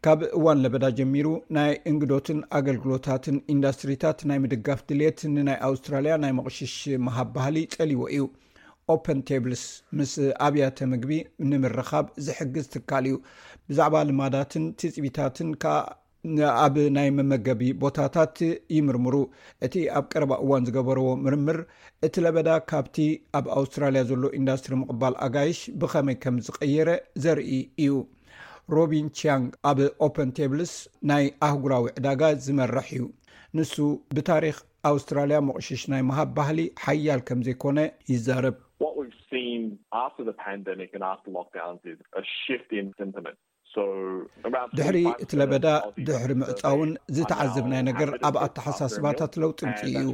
ካብ እዋን ለበዳ ጀሚሩ ናይ እንግዶትን ኣገልግሎታትን ኢንዳስትሪታት ናይ ምድጋፍ ድልየት ንናይ ኣውስትራልያ ናይ መቕሽሽ ምሃብ ባህሊ ጸልይዎ እዩ። ኦፐን ቴብልስ ምስ ኣብያተ ምግቢ ንምርኻብ ዝሕግዝ ትካል እዩ። ብዛዕባ ልማዳትን ትጽቢታትን ከኣ ኣብ ናይ መመገቢ ቦታታት ይምርምሩ። እቲ ኣብ ቀረባ እዋን ዝገበርዎ ምርምር፣ እቲ ለበዳ ካብቲ ኣብ ኣውስትራልያ ዘሎ ኢንዳስትሪ ምቕባል ኣጋይሽ ብኸመይ ከም ዝቐየረ ዘርኢ እዩ። ሮቢን ቺያንግ ኣብ ኦፐን ቴብልስ ናይ ኣህጉራዊ ዕዳጋ ዝመርሕ እዩ። ንሱ ብታሪኽ ኣውስትራልያ መቑሽሽ ናይ ምሃብ ባህሊ ሓያል ከም ዘይኮነ ይዛረብ። What we've seen after the pandemic and after lockdowns is a shift in sentiment. So around ድሕሪ እቲ ለበዳ፣ ድሕሪ ምዕጻውን ዝተዓዘብናዮ ነገር ኣብ ኣተሓሳስባታት ለውጢ ምጽእ እዩ።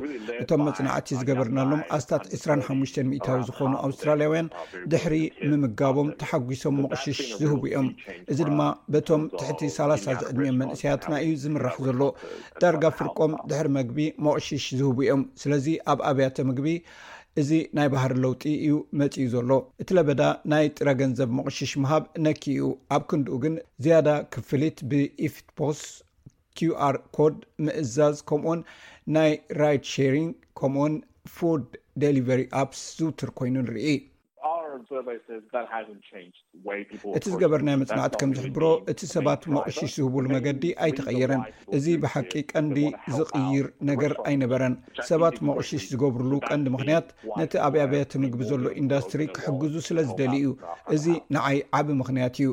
እቶም መጽናዕቲ ዝገበርናሎም ኣስታት ዕስራን ሓሙሽተን ሚእታዊ ዝኾኑ ኣውስትራልያውያን ድሕሪ ምምጋቦም ተሓጒሶም መቑሽሽ ዝህቡ እዮም። እዚ ድማ በቶም ትሕቲ ሰላሳ ዝዕድሚኦም መንእሰያትና እዩ ዝምራሕ ዘሎ። ዳርጋ ፍርቆም ድሕሪ መግቢ መቑሽሽ ዝህቡ እዮም። ስለዚ ኣብ ኣብያተ ምግቢ እዚ ናይ ባህሪ ለውጢ እዩ መጺኡ ዘሎ። እቲ ለበዳ ናይ ጥረ ገንዘብ መቑሽሽ ምሃብ ነኪ እዩ። ኣብ ክንድኡ ግን ዝያዳ ክፍሊት ብኢፍትፖስ፣ ኪውኣር ኮድ ምእዛዝ፣ ከምኡውን ናይ ራይድ ሼሪንግ ከምኡውን ፉድ ዴሊቨሪ ኣፕስ ዝውትር ኮይኑ ንርኢ። Our survey says that hasn't changed the way people እቲ ዝገበርናዮ መጽናዕቲ ከም ዝሕብሮ፣ እቲ ሰባት መቑሽሽ ዝህቡሉ መገዲ ኣይተቐየረን። እዚ ብሓቂ ቀንዲ ዝቕይር ነገር ኣይነበረን። ሰባት መቑሽሽ ዝገብርሉ ቀንዲ ምኽንያት ነቲ ኣብ ኣብያተ ምግቢ ዘሎ ኢንዳስትሪ ክሕግዙ ስለ ዝደልዩ እዩ። እዚ ንዓይ ዓቢ ምኽንያት እዩ።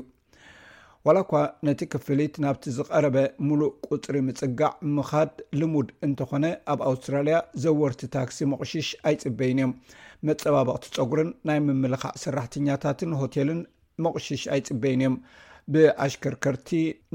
ዋላ እኳ ነቲ ክፍሊት ናብቲ ዝቐረበ ምሉእ ቁጽሪ ምጽጋዕ ምኻድ ልሙድ እንተኾነ፣ ኣብ ኣውስትራልያ ዘወርቲ ታክሲ መቑሽሽ ኣይጽበይን እዮም። መጸባበቕቲ ጸጉርን ናይ ምምልኻዕ ሰራሕተኛታትን ሆቴልን መቑሽሽ ኣይጽበይን እዮም። ብኣሽከርከርቲ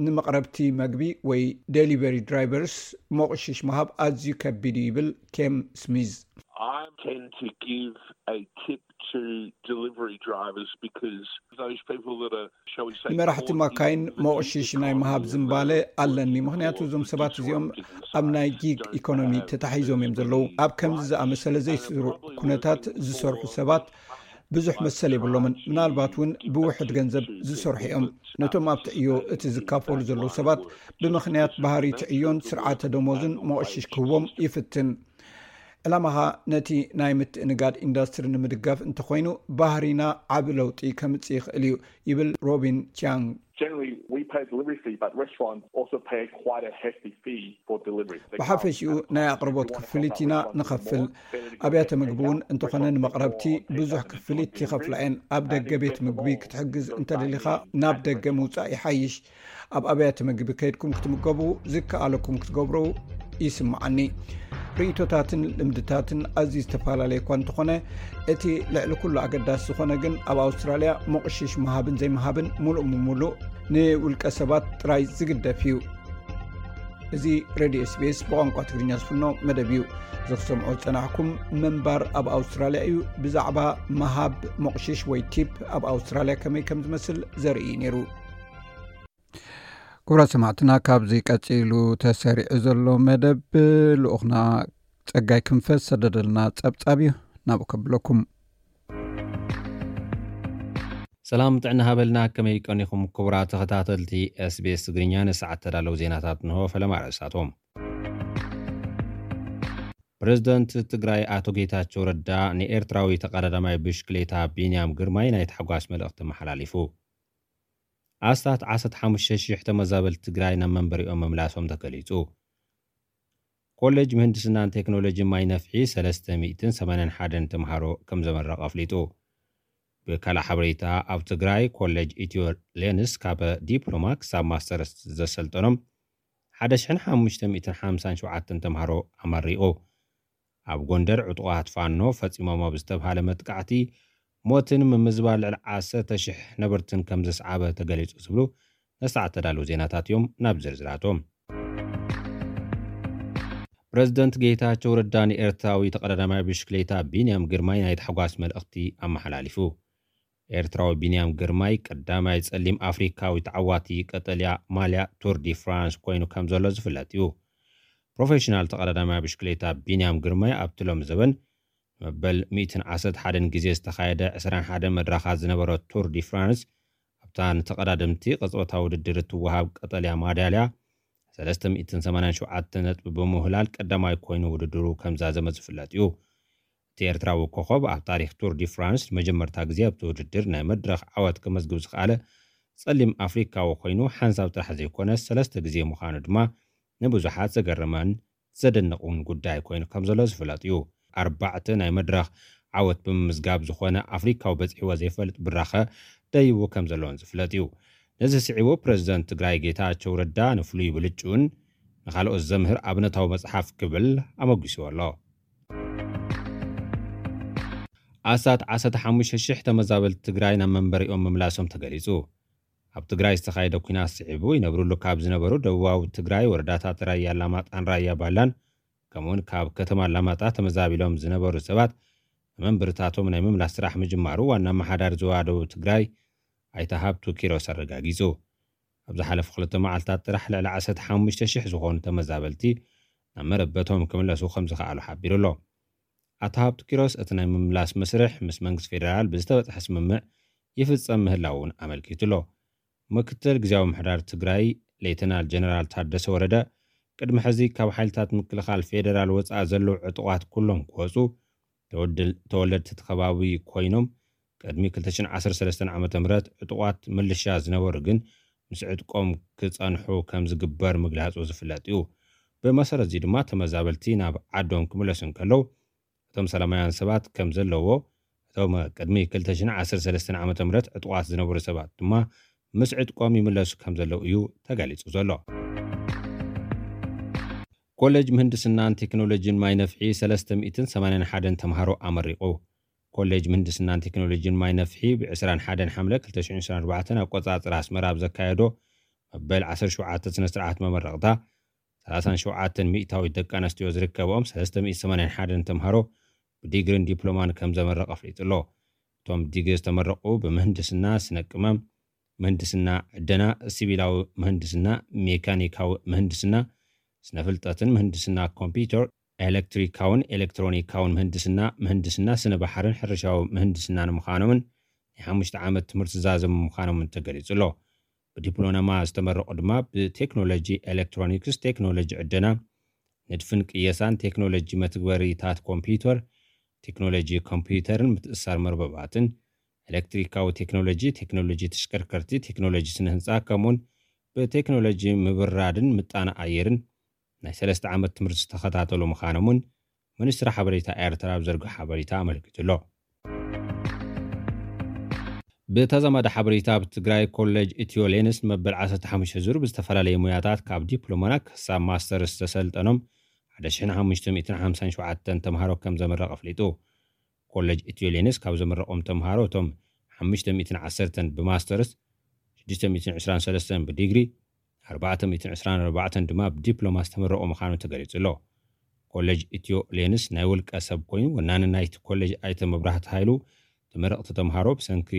ንመቕረብቲ መግቢ ወይ ዴሊቨሪ ድራይቨርስ መቑሽሽ ምሃብ ኣዝዩ ከቢድ እዩ ይብል ኬም ስሚዝ። I tend to give a tip to delivery drivers because those people that are, shall we say, ንመራሕቲ ማካይን መቑሽሽ ናይ ምሃብ ዝንባለ ኣለኒ። ምኽንያቱ እዞም ሰባት እዚኦም ኣብ ናይ ጊግ ኢኮኖሚ ተታሒዞም እዮም ዘለዉ። ኣብ ከምዚ ዝኣመሰለ ዘይስሩዕ ኩነታት ዝሰርሑ ሰባት ብዙሕ መሰል የብሎምን። ምናልባት እውን ብውሕድ ገንዘብ ዝሰርሑ እዮም። ነቶም ኣብቲ ዕዮ እቲ ዝካፈሉ ዘለዉ ሰባት ብምኽንያት ባህሪ እቲ ዕዮን ስርዓተ ደሞዝን መቑሽሽ ክህቦም ይፍትን። ዕላማኻ ነቲ ናይ ምትእንጋድ ኢንዳስትሪ ንምድጋፍ እንተኾይኑ፣ ባህሪና ዓቢ ለውጢ ከምጽእ ይኽእል እዩ ይብል ሮቢን ቻንግ። Generally, we pay a delivery fee, but restaurants also pay quite a hefty fee for delivery. ብሓፈሽኡ ናይ ኣቕርቦት ክፍሊት ኢና ንኸፍል። ኣብያተ ምግቢ እውን እንተኾነ ንመቕረብቲ ብዙሕ ክፍሊት ይኸፍላ እየን። ኣብ ደገ ቤት ምግቢ ክትሕግዝ እንተደሊኻ ናብ ደገ ምውጻእ ይሓይሽ። ኣብ ኣብያተ ምግቢ ከይድኩም ክትምገቡ ዝከኣለኩም ክትገብሩ ይስምዓኒ። ርእይቶታትን ልምድታትን ኣዝዩ ዝተፈላለየ እኳ እንተኾነ፣ እቲ ልዕሊ ኩሉ ኣገዳሲ ዝኾነ ግን ኣብ ኣውስትራልያ መቑሽሽ ምሃብን ዘይምሃብን ምሉእ ብምሉእ ንውልቀ ሰባት ጥራይ ዝግደፍ እዩ። እዚ ሬድዮ ኤስቢኤስ ብቋንቋ ትግርኛ ዝፍኖ መደብ እዩ። እዚ ክሰምዖ ዝጸናሕኩም ምንባር ኣብ ኣውስትራልያ እዩ። ብዛዕባ ምሃብ መቑሽሽ ወይ ቲፕ ኣብ ኣውስትራልያ ከመይ ከም ዝመስል ዘርኢ እዩ ነይሩ። ክቡራት ሰማዕትና፣ ካብዚ ቀጺሉ ተሰሪዑ ዘሎ መደብ ልኡኽና ጸጋይ ክንፈ ዝሰደደልና ጸብጻብ እዩ። ናብኡ ከብለኩም። ሰላም ጥዕና ሃበልና። ከመይ ቀኒኹም ክቡራት ተኸታተልቲ ኤስቢኤስ ትግርኛ? ንሰዓት ተዳለዉ ዜናታት እንሆ። ፈለማ ኣርእስታቶም። ፕሬዝደንት ትግራይ ኣቶ ጌታቸው ረዳ ንኤርትራዊ ተቐዳዳማይ ብሽክሌታ ቢንያም ግርማይ ናይ ታሕጓስ መልእኽቲ መሓላሊፉ። ኣስታት ዓሰርተ ሓሙሽተ ሺሕ ተመዛበልቲ ትግራይ ናብ መንበሪኦም ምምላሶም ተገሊጹ። ኮሌጅ ምህንድስናን ቴክኖሎጂ ማይ ነፍሒ ሰለስተ ሚእትን ሰማንያን ሓደን ተምሃሮ ከም ዘመረቐ ኣፍሊጡ። ብካልእ ሓበሬታ፣ ኣብ ትግራይ ኮሌጅ ኢትዮ ሌንስ ካብ ዲፕሎማ ክሳብ ማስተርስ ዘሰልጠኖም ሓደ ሽሕን ሓሙሽተ ሚእትን ሓምሳን ሸውዓተን ተምሃሮ ኣመሪቑ። ኣብ ጎንደር ዕጡቓት ፋኖ ፈጺሞሞ ብዝተብሃለ መጥቃዕቲ ሞትን ምምዝባል ልዕሊ ዓሰርተ ሽሕ ነበርትን ከም ዘስዓበ ተገሊጹ ዝብሉ ነስተዓት ተዳለዉ ዜናታት እዮም። ናብ ዝርዝራቶም። ፕረዚደንት ጌታቸው ረዳ ንኤርትራዊ ተቐዳዳማይ ብሽክሌታ ቢንያም ግርማይ ናይ ታሕጓስ መልእኽቲ ኣመሓላሊፉ። ኤርትራዊ ቢንያም ግርማይ ቀዳማይ ጸሊም ኣፍሪካዊ ተዓዋቲ ቀጠልያ ማልያ ቱር ዲ ፍራንስ ኮይኑ ከም ዘሎ ዝፍለጥ እዩ። ፕሮፌሽናል ተቐዳዳማይ ብሽክሌታ ቢንያም ግርማይ ኣብቲ ሎም ዘበን መበል ሚእትን ዓሰርተ ሓደን ግዜ ዝተኻየደ ዕስራን ሓደን መድረኻት ዝነበረ ቱር ዲ ፍራንስ ኣብታ ንተቐዳደምቲ ቅጽበታዊ ውድድር እትወሃብ ቀጠልያ ማዳልያ ሰለስተ ሚእትን ሰማንያን ሸውዓተ ነጥቢ ብምውህላል ቀዳማይ ኮይኑ ውድድሩ ከም ዛዘመ ዝፍለጥ እዩ። እቲ ኤርትራዊ ኮኸብ ኣብ ታሪኽ ቱር ዲ ፍራንስ ንመጀመርታ ግዜ ኣብቲ ውድድር ናይ መድረኽ ዓወት ከመዝግብ ዝኸኣለ ጸሊም ኣፍሪካዊ ኮይኑ ሓንሳብ ጥራሕ ዘይኮነስ ሰለስተ ግዜ ምዃኑ ድማ ንብዙሓት ዘገረመን ዘደንቕን ጉዳይ ኮይኑ ከም ዘሎ ዝፍለጥ እዩ። ኣርባዕተ ናይ መድረኽ ዓወት ብምምዝጋብ ዝኾነ ኣፍሪካዊ በፂሕዎ ዘይፈልጥ ብራኸ ደይቡ ከም ዘለውን ዝፍለጥ እዩ። ነዚ ስዒቡ ፕረዚደንት ትግራይ ጌታቸው ረዳ ንፍሉይ ብልጭኡን ንኻልኦት ዘምህር ኣብነታዊ መፅሓፍ ክብል ኣመጒስዎ ኣሎ። ኣስታት ዓሰርተ ሓሙሽተ ሽሕ ተመዛበልቲ ትግራይ ናብ መንበሪኦም ምምላሶም ተገሊጹ። ኣብ ትግራይ ዝተኻየደ ኲናት ስዒቡ ይነብርሉ ካብ ዝነበሩ ደቡባዊ ትግራይ ወረዳታት ራያ ኣላማጣን ራያ ባላን ከምኡውን ካብ ከተማ ኣላማጣ ተመዛቢሎም ዝነበሩ ሰባት ንመንበርታቶም ናይ ምምላስ ስራሕ ምጅማሩ ዋና ኣመሓዳሪ ዞባ ደቡብ ትግራይ ኣይተ ሃብቱ ኪሮስ ኣረጋጊጹ። ኣብ ዝሓለፉ ክልተ መዓልታት ጥራሕ ልዕሊ ዓሰርተ ሓሙሽተ ሽሕ ዝኾኑ ተመዛበልቲ ናብ መረበቶም ክምለሱ ከም ዝኸኣሉ ሓቢሩ ኣሎ። ኣቶ ሃብቱ ኪሮስ እቲ ናይ ምምላስ መስርሕ ምስ መንግስቲ ፌደራል ብዝተበፅሐ ስምምዕ ይፍፀም ምህላው እውን ኣመልኪቱ ኣሎ። ምክትል ግዜያዊ ምምሕዳር ትግራይ ሌተናል ጀነራል ታደሰ ወረደ ቅድሚ ሕዚ ካብ ሓይልታት ምክልኻል ፌደራል ወፃኢ ዘለዉ ዕጡቓት ኩሎም ክወፁ ተወድል- ተወለድቲ እቲ ከባቢ ኮይኖም ቅድሚ ክልተ ሽሕን ዓሰርተ ሰለስተን ዓመተ ምህረት ዕጡቓት ምልሻ ዝነበሩ ግን ምስ ዕጥቆም ክፀንሑ ከም ዝግበር ምግላፁ ዝፍለጥ እዩ። ብመሰረት እዚ ድማ ተመዛበልቲ ናብ ዓዶም ክምለሱ እንከለዉ እቶም ሰላማውያን ሰባት ከም ዘለዎ እቶም ቅድሚ ክልተ ሽሕን ዓሰርተ ሰለስተን ዓመተ ምህረት ዕጡቓት ዝነበሩ ሰባት ድማ ምስ ዕጥቆም ይምለሱ ከም ዘለዉ እዩ ተገሊጹ ዘሎ። ኮሌጅ ምህንድስናን ቴክኖሎጂን ማይ ነፍሒ ሰለስተ ሚእትን ሰማንያን ሓደን ተምሃሮ ኣመሪቑ። ኮሌጅ ምህንድስናን ቴክኖሎጂን ማይ ነፍሒ ብ ዕስራን ሓደን ሓምለ ክልተ ሽሕን ዕስራን ኣርባዕተን ኣቆጻጽራ ኣስመራ ኣብ ዘካየዶ መበል ዓሰርተ ሸውዓተ ስነ ስርዓት መመረቕታ ሰላሳን ሸውዓተን ሚእታዊት ደቂ ኣንስትዮ ዝርከብኦም ሰለስተ ሚእቲ ሰማንያን ሓደን ተምሃሮ ብዲግሪን ዲፕሎማን ከም ዘመረቐ ኣፍሊጡ ኣሎ። እቶም ብዲግሪ ዝተመረቑ ብምህንድስና ስነ ቅመም፣ ምህንድስና ዕደና፣ ሲቪላዊ ምህንድስና፣ ሜካኒካዊ ምህንድስና፣ ስነ ፍልጠትን ምህንድስና ኮምፒውተር፣ ኤሌክትሪካውን ኤሌክትሮኒካውን ምህንድስና፣ ምህንድስና ስነ ባሕርን ሕርሻዊ ምህንድስናን ምዃኖምን ናይ ሓሙሽተ ዓመት ትምህርቲ ዝዛዘሙ ምዃኖምን ተገሊጹ ኣሎ። ብዲፕሎማ ዝተመረቑ ድማ ብቴክኖሎጂ ኤሌክትሮኒክስ፣ ቴክኖሎጂ ዕደና፣ ንድፍን ቅየሳን፣ ቴክኖሎጂ መትግበሪታት ኮምፒውተር፣ ቴክኖሎጂ ኮምፒውተርን ምትእስሳር መርበባትን፣ ኤሌክትሪካዊ ቴክኖሎጂ፣ ቴክኖሎጂ ተሽከርከርቲ፣ ቴክኖሎጂ ስነ ህንፃ ከምኡውን ብቴክኖሎጂ ምብራድን ምጣነ ኣየርን ናይ ሰለስተ ዓመት ትምህርቲ ዝተኸታተሉ ምዃኖምን ሚኒስትሪ ሓበሬታ ኤርትራ ኣብ ዘርግሖ ሓበሬታ ኣመልኪቱ ኣሎ። ብተዛማዲ ሓበሬታ ኣብ ትግራይ ኮሌጅ ኢትዮ ሌንስ መበል ዓሰርተ ሓሙሽተ ዙር ብዝተፈላለየ ሙያታት ካብ ዲፕሎማና ክሳብ ማስተርስ ዝተሰልጠኖም ሓደ ሽሕን ሓሙሽተ ሚእትን ሓምሳን ሸውዓተን ተምሃሮ ከም ዘመረቐ ኣፍሊጡ። ኮሌጅ ኢትዮ ሌንስ ካብ ዘመረቖም ተምሃሮ እቶም ሓሙሽተ ሚእትን ዓሰርተን ብማስተርስ፣ ሽዱሽተ ሚእትን ዕስራን ሰለስተን ብዲግሪ፣ ኣርባዕተ ሚእትን ዕስራን ኣርባዕተን ድማ ብዲፕሎማ ዝተመረቑ ምዃኑ ተገሊጹ ኣሎ። ኮሌጅ ኢትዮ ሌንስ ናይ ውልቀ ሰብ ኮይኑ ወናኒ ናይቲ ኮሌጅ ኣይተ መብራህቲ ሃይሉ ተመረቕቲ ተምሃሮ ብሰንኪ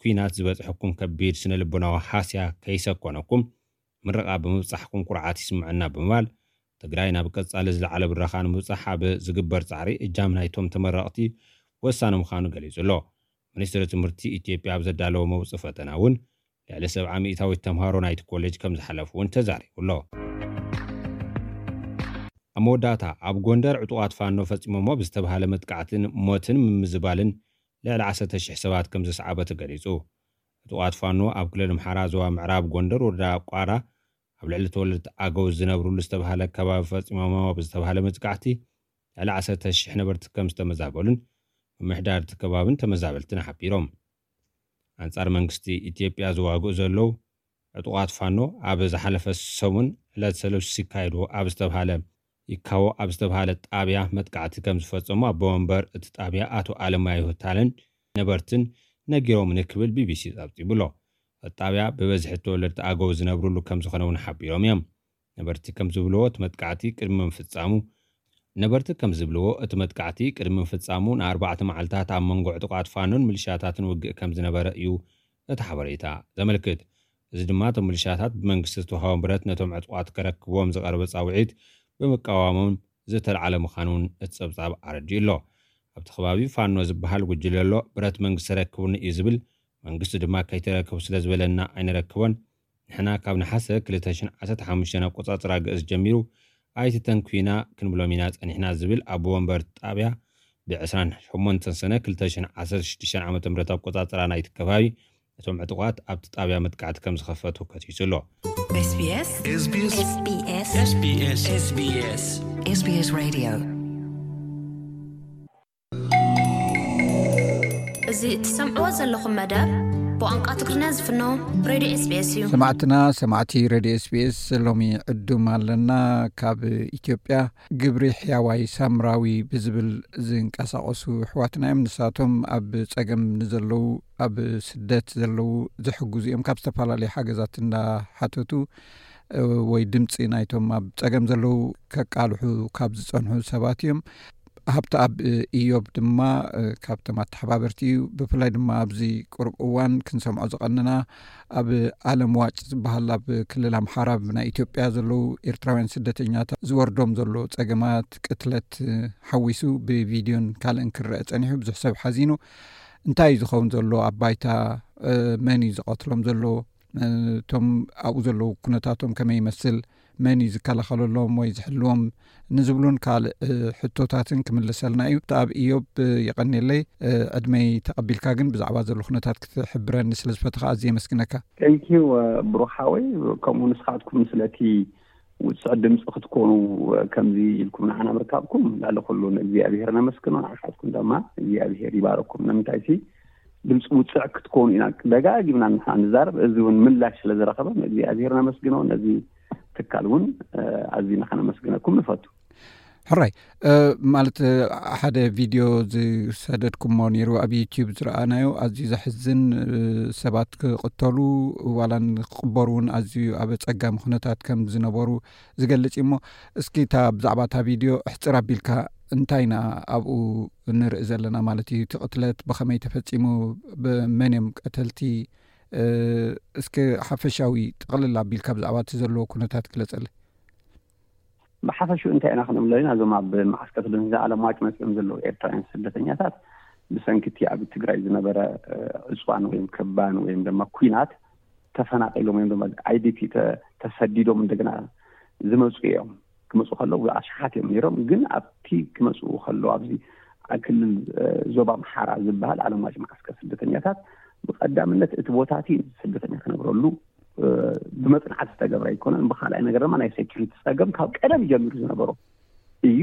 ኲናት ዝበፅሐኩም ከቢድ ስነ ልቦናዊ ሃስያ ከይሰኮነኩም ምረቓ ብምብፃሕኩም ኩርዓት ይስምዐና ብምባል ትግራይ ናብ ቀፃሊ ዝለዓለ ብራኻ ንምብፃሕ ኣብ ዝግበር ፃዕሪ እጃም ናይቶም ተመረቕቲ ወሳኒ ምዃኑ ገሊጹ ኣሎ። ሚኒስትሪ ትምህርቲ ኢትዮጵያ ኣብ ዘዳለዎ መውፅኢ ፈተና እውን ልዕሊ ሰብዓ ሚእታዊት ተምሃሮ ናይቲ ኮሌጅ ከም ዝሓለፉ እውን ተዛሪቡ ኣሎ። ኣብ መወዳእታ ኣብ ጎንደር ዕጡቓት ፋኖ ፈፂሞሞ ብዝተባሃለ መጥቃዕትን ሞትን ምምዝባልን ልዕሊ ዓሰርተ ሽሕ ሰባት ከም ዘስዓበ ተገሊፁ። ዕጡቓት ፋኖ ኣብ ክልል ኣምሓራ ዞባ ምዕራብ ጎንደር ወረዳ ቋራ ኣብ ልዕሊ ተወለድቲ ኣገው ዝነብሩሉ ዝተባሃለ ከባቢ ፈፂሞሞ ብዝተባሃለ መጥቃዕቲ ልዕሊ ዓሰርተ ሽሕ ነበርቲ ከም ዝተመዛበሉን ምምሕዳር እቲ ከባብን ተመዛበልትን ሓቢሮም። ኣንጻር መንግስቲ ኢትዮጵያ ዝዋግኡ ዘለዉ ዕጡቓት ፋኖ ኣብ ዝሓለፈ ሰሙን ዕለት ሰሉስ ይካየድዎ ኣብ ዝተባሃለ ይካዎ ኣብ ዝተባሃለ ጣብያ መጥቃዕቲ ከም ዝፈጸሙ ኣቦ ወንበር እቲ ጣብያ ኣቶ ኣለማየሁ ታለን ነበርትን ነጊሮም ንክብል ቢቢሲ ጸብጺቡ ኣሎ። እቲ ጣብያ ብበዝሒ ተወለድቲ ኣገው ዝነብሩሉ ከም ዝኾነ እውን ሓቢሮም እዮም። ነበርቲ ከም ዝብልዎ እቲ መጥቃዕቲ ቅድሚ ምፍጻሙ ነበርቲ ከም ዝብልዎ እቲ መጥቃዕቲ ቅድሚ ምፍጻሙ ንኣርባዕተ መዓልታት ኣብ መንጎ ዕጡቓት ፋኖን ሚሊሻታትን ውግእ ከም ዝነበረ እዩ እቲ ሓበሬታ ዘመልክት። እዚ ድማ እቶም ሚሊሻታት ብመንግስቲ ዝተዋህቦም ብረት ነቶም ዕጡቓት ከረክብዎም ዝቐረበ ጻውዒት ብምቃዋሞም ዝተልዓለ ምዃኑ እውን እቲ ጸብጻብ ኣረዲኡ ኣሎ። ኣብቲ ከባቢ ፋኖ ዝበሃል ጉጅለ ኣሎ፣ ብረት መንግስቲ ረክቡኒ እዩ ዝብል፣ መንግስቲ ድማ ከይተረከቡ ስለ ዝበለና ኣይንረክቦን። ንሕና ካብ ነሓሰ ክልተ ሽሕን ዓሰርተ ሓሙሽተን ኣቆጻጽራ ግእዝ ጀሚሩ ኣይትተንኩዩና ክንብሎም ኢና ጸኒሕና ዝብል ኣቦ ወንበር ጣብያ ብ ዕስራን ሸሞንተን ሰነ ክልተ ሽሕን ዓሰርተ ሽዱሽተን ዓመተ ምህረት ኣቆጻጽራ ናይቲ ከባቢ እቶም ዕጡቓት ኣብቲ ጣብያ መጥቃዕቲ ከም ዝኸፈቱ ከሲሱ ኣሎ። SBS SBS SBS SBS SBS Radio እዚ ትሰምዕዎ ዘለኹም መደብ ብቋንቋ ትግርኛ ዝፍኖ ሬድዮ SBS እዩ። ሰማዕትና ሰማዕቲ ሬድዮ SBS፣ ሎሚ ዕዱም ኣለና። ካብ ኢትዮጵያ ግብሪ ሕያዋይ ሳምራዊ ብዝብል ዝንቀሳቐሱ ኣሕዋትና እዮም። ንሳቶም ኣብ ጸገም ንዘለዉ፣ ኣብ ስደት ዘለዉ ዝሕግዙ እዮም። ካብ ዝተፈላለዩ ሓገዛት እንዳሓተቱ ወይ ድምፂ ናይቶም ኣብ ጸገም ዘለዉ ከቃልሑ ካብ ዝጸንሑ ሰባት እዮም። ሃብተኣብ ኢዮብ ድማ ካብቶም ኣተሓባበርቲ እዩ። ብፍላይ ድማ ኣብዚ ቅሩብ እዋን ክንሰምዖ ዝቐንና ኣብ ኣለም ዋጭ ዝበሃል ኣብ ክልል ኣምሓራ ብናይ ኢትዮጵያ ዘለዉ ኤርትራውያን ስደተኛታት ዝወርዶም ዘሎ ጸገማት፣ ቅትለት ሓዊሱ ብቪድዮን ካልእን ክረአ ጸኒሑ ብዙሕ ሰብ ሓዚኑ። እንታይ እዩ ዝኸውን ዘሎ ኣብ ባይታ? መን እዩ ዝቐትሎም ዘሎ? እቶም ኣብኡ ዘለዉ ኩነታቶም ከመይ ይመስል? መን እዩ ዝከላኸለሎም ወይ ዝሕልዎም? ንዝብሉን ካልእ ሕቶታትን ክምልሰልና እዩ። ኣብ ኢዮብ፣ የቐንየለይ ዕድመይ ተቐቢልካ ግን ብዛዕባ ዘሎ ኩነታት ክትሕብረኒ ስለ ዝፈተኻ ኣዝየ የመስግነካ። ቴንኪዩ ብሩኻወይ። ከምኡ ንስኻትኩም ስለቲ ውፅዕ ድምፂ ክትኮኑ ከምዚ ኢልኩም ንዓና ምርካብኩም ላለ ኩሉ ንእግዚኣብሔር ነመስግኖ። ንዓኻትኩም ድማ እግዚኣብሔር ይባረኩም። ንምንታይ ሲ ድምፂ ውፅዕ ክትኮኑ ኢና ደጋጊምና ንሕና ንዛረብ። እዚ እውን ምላሽ ስለ ዝረኸበ ንእግዚኣብሔር ነመስግኖ። ነዚ ትካል እውን ኣዚና ከነመስግነኩም ንፈቱ። ሕራይ፣ ማለት ሓደ ቪድዮ ዝሰደድኩሞ ነይሩ ኣብ ዩቲዩብ ዝረኣናዮ፣ ኣዝዩ ዘሕዝን፣ ሰባት ክቕተሉ ዋላ ክቕበሩ እውን ኣዝዩ ኣብ ኣጸጋሚ ኩነታት ከም ዝነበሩ ዝገልጽ እዩ። እሞ እስኪ እታ ብዛዕባ እታ ቪድዮ ኣሕጽር ኣቢልካ እንታይ ኢና ኣብኡ ንርኢ ዘለና ማለት እዩ? እቲ ቅትለት ብኸመይ ተፈጺሙ? ብመን እዮም ቀተልቲ? እስኪ ሓፈሻዊ ጥቕልል ኣቢልካ ብዛዕባ እቲ ዘለዎ ኩነታት ግለጸለይ። ብሓፈሽኡ እንታይ ኢና ክንብሎ ኢና? እዞም ኣብ መዓስከር ስደተኛታት ዓለም ዋጭ መፅኦም ዘለዉ ኤርትራውያን ስደተኛታት ብሰንኪ እቲ ኣብ ትግራይ ዝነበረ ዕፅዋን ወይም ክባን ወይም ድማ ኲናት ተፈናቒሎም ወይም ድማ ኣይዲፒ ተሰዲዶም እንደገና ዝመፁ እዮም። ክመፁ ከለዉ ኣሽሓት እዮም ነይሮም። ግን ኣብቲ ክመፁ ከለዉ ኣብዚ ክልል ዞባ ኣምሓራ ዝበሃል ዓለም ዋጭ መዓስከር ስደተኛታት ብቀዳምነት እቲ ቦታ እቲ ስደተኛ ክነብረሉ ብመፅናዕቲ ዝተገብረ ኣይኮነን። ብካልኣይ ነገር ድማ ናይ ሴኩሪቲ ፀገም ካብ ቀደም ጀሚሩ ዝነበሮ እዩ።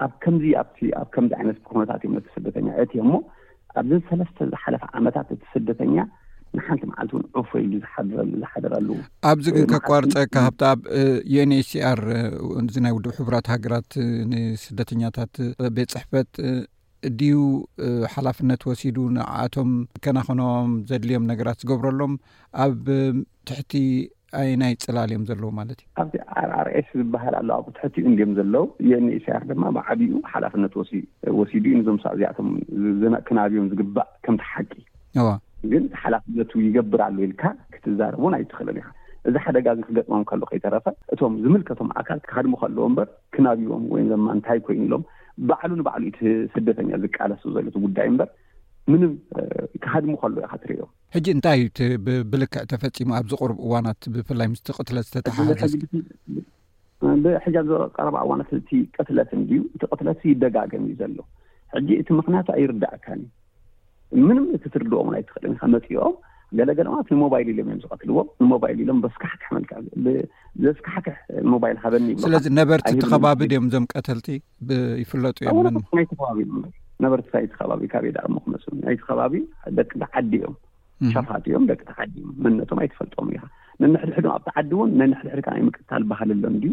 ኣብ ከምዚ ኣብቲ ኣብ ከምዚ ዓይነት ኩነታት እዮም ነቲ ስደተኛ እቲ እሞ ኣብዚ ሰለስተ ዝሓለፈ ዓመታት እቲ ስደተኛ ንሓንቲ መዓልቲ እውን ዑፎ ኢሉ ዝሓድረሉ ዝሓደረሉ ኣብዚ ግን ከቋርፀካ ሃብተኣብ፣ ዩኤንኤችሲኣር፣ እዚ ናይ ውድብ ሕቡራት ሃገራት ንስደተኛታት ቤት ፅሕፈት ድዩ ሓላፍነት ወሲዱ ንዓኣቶም ከናኸኖም ዘድልዮም ነገራት ዝገብረሎም? ኣብ ትሕቲ ኣየናይ ፅላል እዮም ዘለዉ ማለት እዩ? ኣብዚ ኣርኣርኤስ ዝበሃል ኣሎ፣ ኣብኡ ትሕቲኡ እንድዮም ዘለዉ። ዩኤንኤችሲኣር ድማ ብዓቢኡ ሓላፍነት ወሲዱ እዩ ነዞም ሰብ እዚኣቶም ክናብዮም ዝግባእ ከምቲ ሓቂ። እዋ ግን ሓላፍነቱ ይገብር ኣሎ ኢልካ ክትዛረብ እውን ኣይትኽእልን ኢኻ። እዚ ሓደጋ እዚ ክገጥሞም ከሎ ከይተረፈ እቶም ዝምልከቶም ኣካል ክሃድሙ ከለዎ እምበር ክናብዎም ወይም ድማ እንታይ ኮይኑ ኢሎም ባዕሉ ንባዕሉ እቲ ስደተኛ ዝቃለሱ ዘሎ እቲ ጉዳይ እምበር ምንም ክሃድሙ ከሎ ኢኻ ትርእዮም። ሕጂ እንታይ እዩ እቲ ብልክዕ ተፈፂሙ ኣብዚ ቁሩብ እዋናት ብፍላይ ምስቲ ቅትለት ዝተተሓሓዘ? ብሕጂ ኣብዚ ቀረባ እዋናት እቲ ቅትለት እንድዩ እቲ ቅትለት ይደጋገም እዩ ዘሎ። ሕጂ እቲ ምክንያቱ ኣይርዳእካን እዩ። ምንም እቲ ትርድኦም ኣይትኽእልን ኢኻ። መፂኦም ገለገለ ማለት ንሞባይል ኢሎም እዮም ዝቐትልዎም። ንሞባይል ኢሎም በስካሕክሕ መልክዕ ዘስካሕክሕ ሞባይል ሃበኒ ይብሉ። ስለዚ ነበርቲ እቲ ከባቢ ድዮም እዞም ቀተልቲ ይፍለጡ እዮም? ናይቲ ከባቢ ነበርቲ ናይቲ ከባቢ ካበይ ደኣ እሞ ክመፁ ናይቲ ከባቢ ደቂ ዓዲ እዮም። ሸፋት እዮም፣ ደቂ ዓዲ እዮም። መንነቶም ኣይትፈልጦም ኢኻ። ነንሕድሕዶም ኣብቲ ዓዲ እውን ነንሕድሕድካ ናይ ምቅታል ባህሊ ኣሎ እንድዩ።